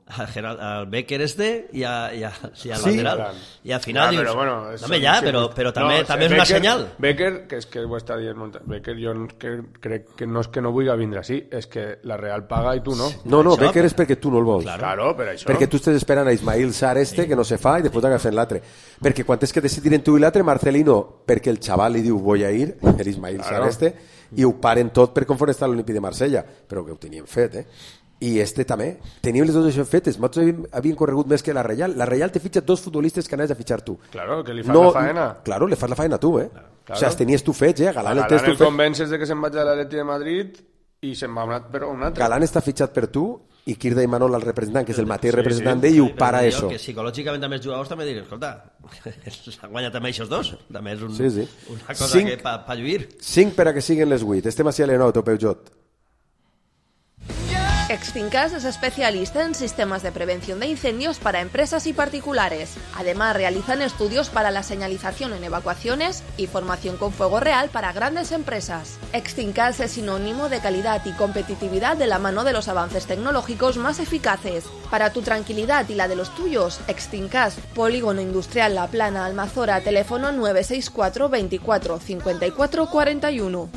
al, Gerald, al Becker este y, a, y, a, y al sí, lateral. Claro. Y al final Claro, dius, pero bueno, eso home, ja, però, però també, no, també és Becker, una senyal. Becker, que és que ho està dient molt, Becker jo que, crec que no és que no vulgui vindre així, és que la Real paga i tu no. No, no, això, Becker és perquè tu no el vols. Claro, claro, per això. Perquè tu estàs esperant a Ismail Sarr este, que no se fa, i després t'agafen l'altre. Perquè quan és que decidiren tu i l'altre, Marcelino, perquè el xaval li diu voy a ir, el Ismail claro. Sarr este, i ho paren tot per conforme està l'Olímpic de Marsella, però que ho tenien fet, eh? I este també. Teníem les dues això fetes. Nosaltres havien, havien corregut més que la Reial. La Reial te fitxa dos futbolistes que anaves a fitxar tu. Claro, que li fas no, la faena. Claro, le fas la faena tu, eh? Claro. O sea, els tenies tu fets, eh? Galán, Galán el, el convences de que se'n vaig a l'Atleti de Madrid i se'n va un, però un altre. Galán està fitxat per tu i Kirda i Manol el representant, que és el mateix sí, representant sí. d'ell, i ho para jo, això. Que psicològicament també els jugadors també diuen, escolta, s'han guanyat també aquests dos. També és un, sí, sí. una cosa cinc, que pa, pa lluir. cinc per a que siguin les vuit. Estem així a l'Enot, o Peujot. Extincas es especialista en sistemas de prevención de incendios para empresas y particulares. Además, realizan estudios para la señalización en evacuaciones y formación con fuego real para grandes empresas. Extincas es sinónimo de calidad y competitividad de la mano de los avances tecnológicos más eficaces. Para tu tranquilidad y la de los tuyos, Extincas, Polígono Industrial La Plana, Almazora, teléfono nueve seis cuatro veinticuatro cincuenta y cuatro cuarenta y uno.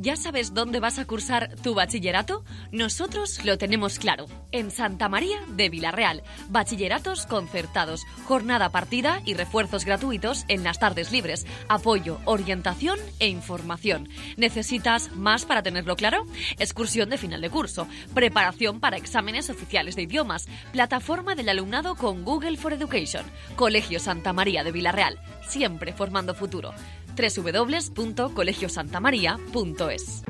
¿Ya sabes dónde vas a cursar tu bachillerato? Nosotros lo tenemos claro. En Santa María de Vilarreal. Bachilleratos concertados, jornada partida y refuerzos gratuitos en las tardes libres. Apoyo, orientación e información. ¿Necesitas más para tenerlo claro? Excursión de final de curso. Preparación para exámenes oficiales de idiomas. Plataforma del alumnado con Google for Education. Colegio Santa María de Vilarreal. Siempre formando futuro. doble u doble u doble u punto colegio santa maría punto es.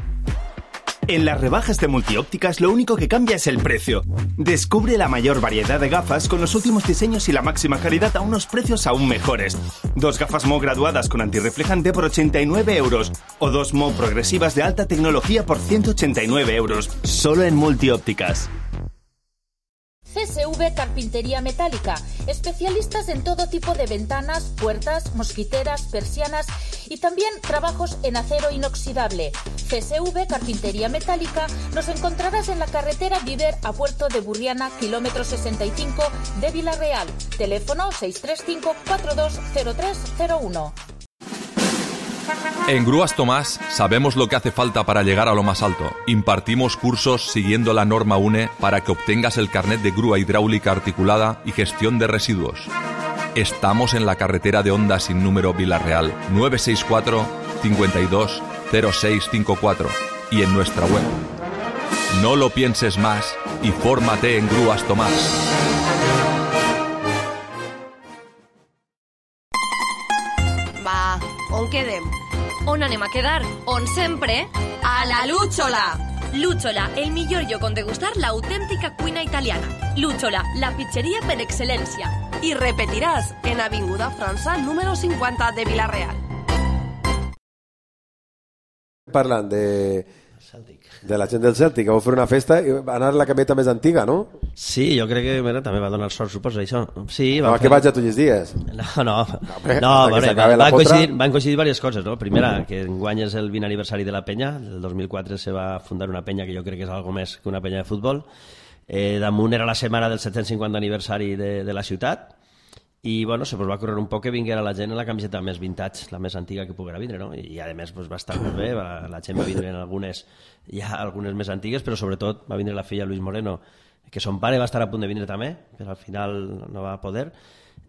En las rebajas de Multiópticas lo único que cambia es el precio. Descubre la mayor variedad de gafas con los últimos diseños y la máxima calidad a unos precios aún mejores. Dos gafas M O graduadas con antirreflejante por ochenta y nueve euros o dos M O progresivas de alta tecnología por ciento ochenta y nueve euros. Solo en Multiópticas. C S V Carpintería Metálica, especialistas en todo tipo de ventanas, puertas, mosquiteras, persianas y también trabajos en acero inoxidable. C S V Carpintería Metálica nos encontrarás en la carretera Viver a Puerto de Burriana, kilómetro sesenta y cinco de Vilarreal. Teléfono seis tres cinco cuatro dos cero tres cero uno. En Grúas Tomás sabemos lo que hace falta para llegar a lo más alto. Impartimos cursos siguiendo la norma U N E para que obtengas el carnet de grúa hidráulica articulada y gestión de residuos. Estamos en la carretera de Honda sin número Vilarreal, nueve seis cuatro, cinco dos, cero seis cinco cuatro y en nuestra web. No lo pienses más y fórmate en Grúas Tomás. Va, on quedem? On anem a quedar? On sempre? A la Lúchola! Lúchola, el millor lloc on degustar l'autèntica cuina italiana. Lúchola, la pizzeria per excel·lència. I repetiràs en Avinguda França, número cinquanta de Vilarreal. Parlant de... de la gent del Cèltic, que va fer una festa i va anar a la cameta més antiga, no? Sí, jo crec que mira, també va donar sort, suposo, això. Sí, no, fer... que vaig a tots els dies. No, no, no, bé, no veure, van, van, coincidir, potra... van coincidir diverses coses, no? Primera, que enguany és el vint aniversari de la penya, el dos mil quatre se va fundar una penya que jo crec que és algo més que una penya de futbol. Eh, damunt era la setmana del set-cents cinquanta aniversari de, de la ciutat, i bueno, se pues, va córrer un poc que vinguera la gent en la camiseta més vintage, la més antiga que poguera vindre, no? I a més pues, va estar molt bé, va, la gent va vindre en algunes, ja algunes més antigues, però sobretot va vindre la filla Luis Moreno, que son pare va estar a punt de vindre també, però al final no va poder,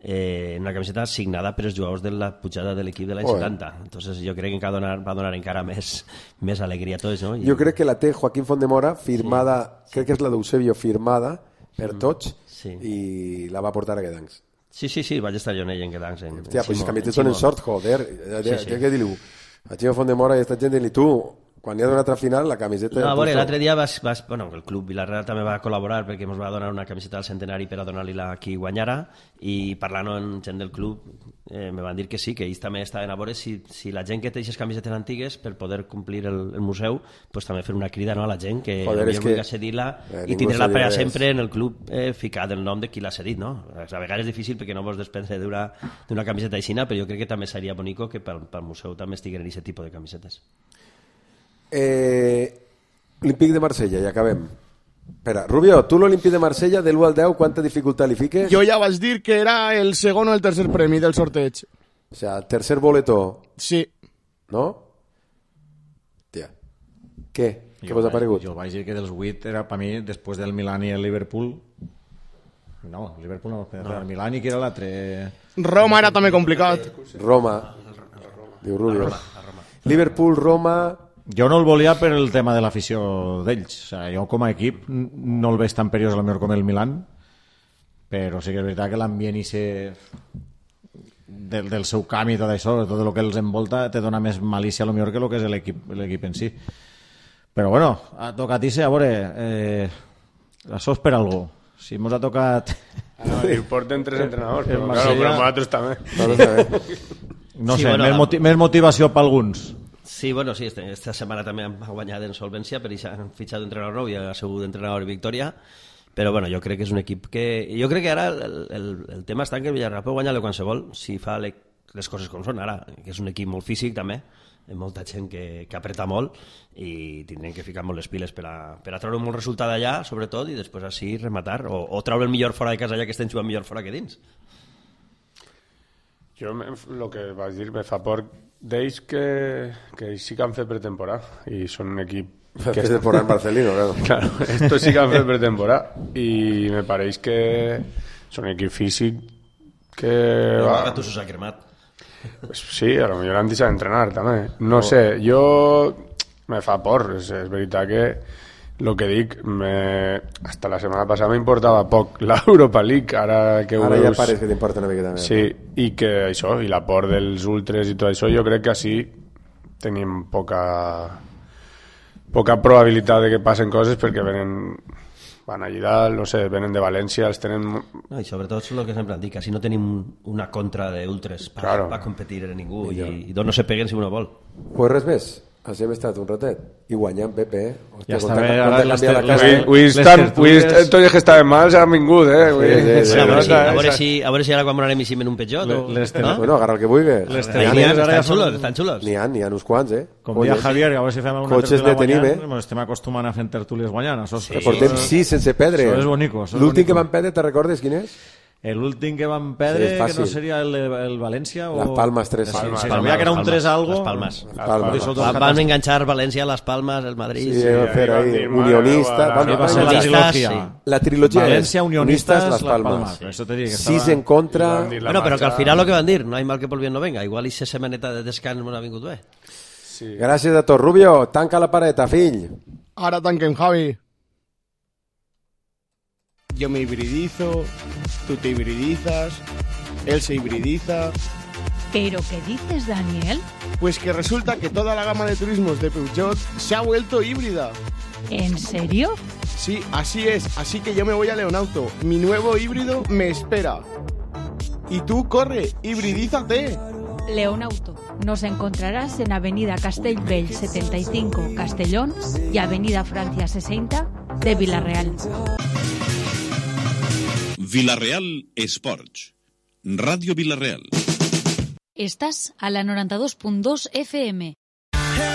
eh, en una camiseta signada per els jugadors de la pujada de l'equip de l'any setanta. Entonces jo crec que va donar, va donar encara més, més alegria a tots, no? I... Jo crec que la té Joaquín Fondemora firmada, sí. Crec que és la d'Eusebio firmada per tots, sí. I la va portar a Guedancs. Sí, sí, sí, vaig estar jo en ell en Guedancs. Hòstia, pues si camisetes són en sort, joder. Sí, sí. Què diu? A Ximo Fondemora i esta gent i tu, quan hi ha una altra final, la camiseta... No, a veure, l'altre dia vas, vas, bueno, el club Vilarreal també va col·laborar perquè ens va donar una camiseta al centenari per a donar-li-la a qui guanyara, i parlant amb gent del club eh, me van dir que sí, que ells també estaven a veure si, si la gent que té aquestes camisetes antigues per poder complir el, el museu, pues també fer una crida, no, a la gent que Joder, vulgui que... cedir-la eh, i tindre-la per a sempre en el club eh, ficat el nom de qui l'ha cedit, no? A vegades és difícil perquè no vols desprendre d'una camiseta aixina, però jo crec que també seria bonico que pel, pel museu també estiguen aquest tipus de camisetes. Eh, Olímpic de Marsella, ja acabem. Espera, Rubio, tu l'Olimpí de Marsella, de l'u al deu, quanta dificultat li fiques? Jo ja vaig dir que era el segon o el tercer premi del sorteig. O sea, el tercer boleto. Sí. No? Tia. Què? Què vos ha paregut? Jo vaig dir que dels vuit era, per mi, després del Milan i el Liverpool... No, el Liverpool no, no. El Milan i que era l'altre... Roma era també complicat. Roma. Diu Rubio. Roma, Roma. Liverpool, Roma... Jo no el volia per el tema de l'afició d'ells. O sigui, jo com a equip no el veig tan perillós a lo millor com el Milan, però sí que és veritat que l'ambient i se... del, del seu camp i tot això, tot el que els envolta, te dona més malícia a lo millor que el que és l'equip l'equip en si. Però bueno, ha tocat irse, a veure, eh, això és per algú. Si mos ha tocat... No, i porten tres entrenadors, però, Marsella... claro, però nosaltres també. No Sí, sé, bueno, més, moti més motivació per alguns. Sí, bueno, sí, este, esta setmana també han guanyat en solvència, per això han fitxat d'entrenador nou i ha sigut d'entrenador i Victòria, però bueno, jo crec que és un equip que... Jo crec que ara el, el, el tema està en que el Villarreal pot guanyar-le qualsevol si fa le, les coses com són ara, que és un equip molt físic també, amb molta gent que, que apreta molt i tindrem que ficar molt les piles per a, per a treure un bon resultat allà, sobretot, i després així rematar, o, o treure el millor fora de casa allà que estem jugant millor fora que dins. Jo, el que vaig dir, me fa por d'ells que, que sí que han fet pretemporada i són un equip que pretemporada en Barcelona, claro. Claro, esto sí que han fet pretemporada i me pareix que són un equip físic que... Però va... que tu s'ho ha cremat. Pues sí, a lo millor han deixat d'entrenar també. No oh. sé, jo me fa por, és, és veritat que lo que dic, me... hasta la setmana passada m'importava poc l'Europa League, ara que ara veus... ja pareix que t'importa una miqueta més. Sí, i que això, i la por dels ultres i tot això, jo crec que així tenim poca poca probabilitat de que passen coses perquè venen van allà dalt, no sé, venen de València, els tenen... No, i sobretot és el que sempre han dit, que així no tenim una contra d'ultres per claro. pa competir en ningú i, i dos no se peguen si uno vol. Pues res més. Així hem estat un ratet i guanyant Pepe, eh? Ja està bé, ara les tots els que estaven mals han vingut, eh? A veure si ara quan m'anem i en un petjot bueno, agarra el que vulguis. Estan xulos, estan xulos. N'hi ha, n'hi ha uns quants, eh? Com dia Javier, a veure si fem alguna tertúlia guanyant, estem acostumant a fer tertúlies guanyant. Portem sis sense perdre. Això és bonico. L'últim que van perdre, te recordes quin és? L'últim que van perdre, sí, que no seria el, el València o... Las Palmas tres. Sí, sí, sabia que era un tres algo. Las Palmas. Las Palmas. Van, van enganchar València, Las Palmas, el Madrid. Sí, sí, fer ahí, unionista. Va, va ser la trilogia. La trilogia València, unionistas, Las Palmas. Eso te digo que Sis en contra. Bueno, però que al final lo que van dir, no hay mal que por bien no venga. Igual i esa setmaneta de descans m'ha vingut bé. Sí. Gràcies a tots. Rubio, tanca la pareta, fill. Ara tanquem, Javi. Yo me hibridizo, tú te hibridizas, él se hibridiza. ¿Pero qué dices, Daniel? Pues que resulta que toda la gama de turismos de Peugeot se ha vuelto híbrida. ¿En serio? Sí, así es. Así que yo me voy a Leonauto. Mi nuevo híbrido me espera. Y tú, corre, hibridízate. Leonauto. Nos encontrarás en Avenida Castellbell setenta y cinco, Castellón, y Avenida Francia sesenta de Villarreal. Villarreal Esports. Ràdio Villarreal. Estàs a la noranta-dos punt dos F M.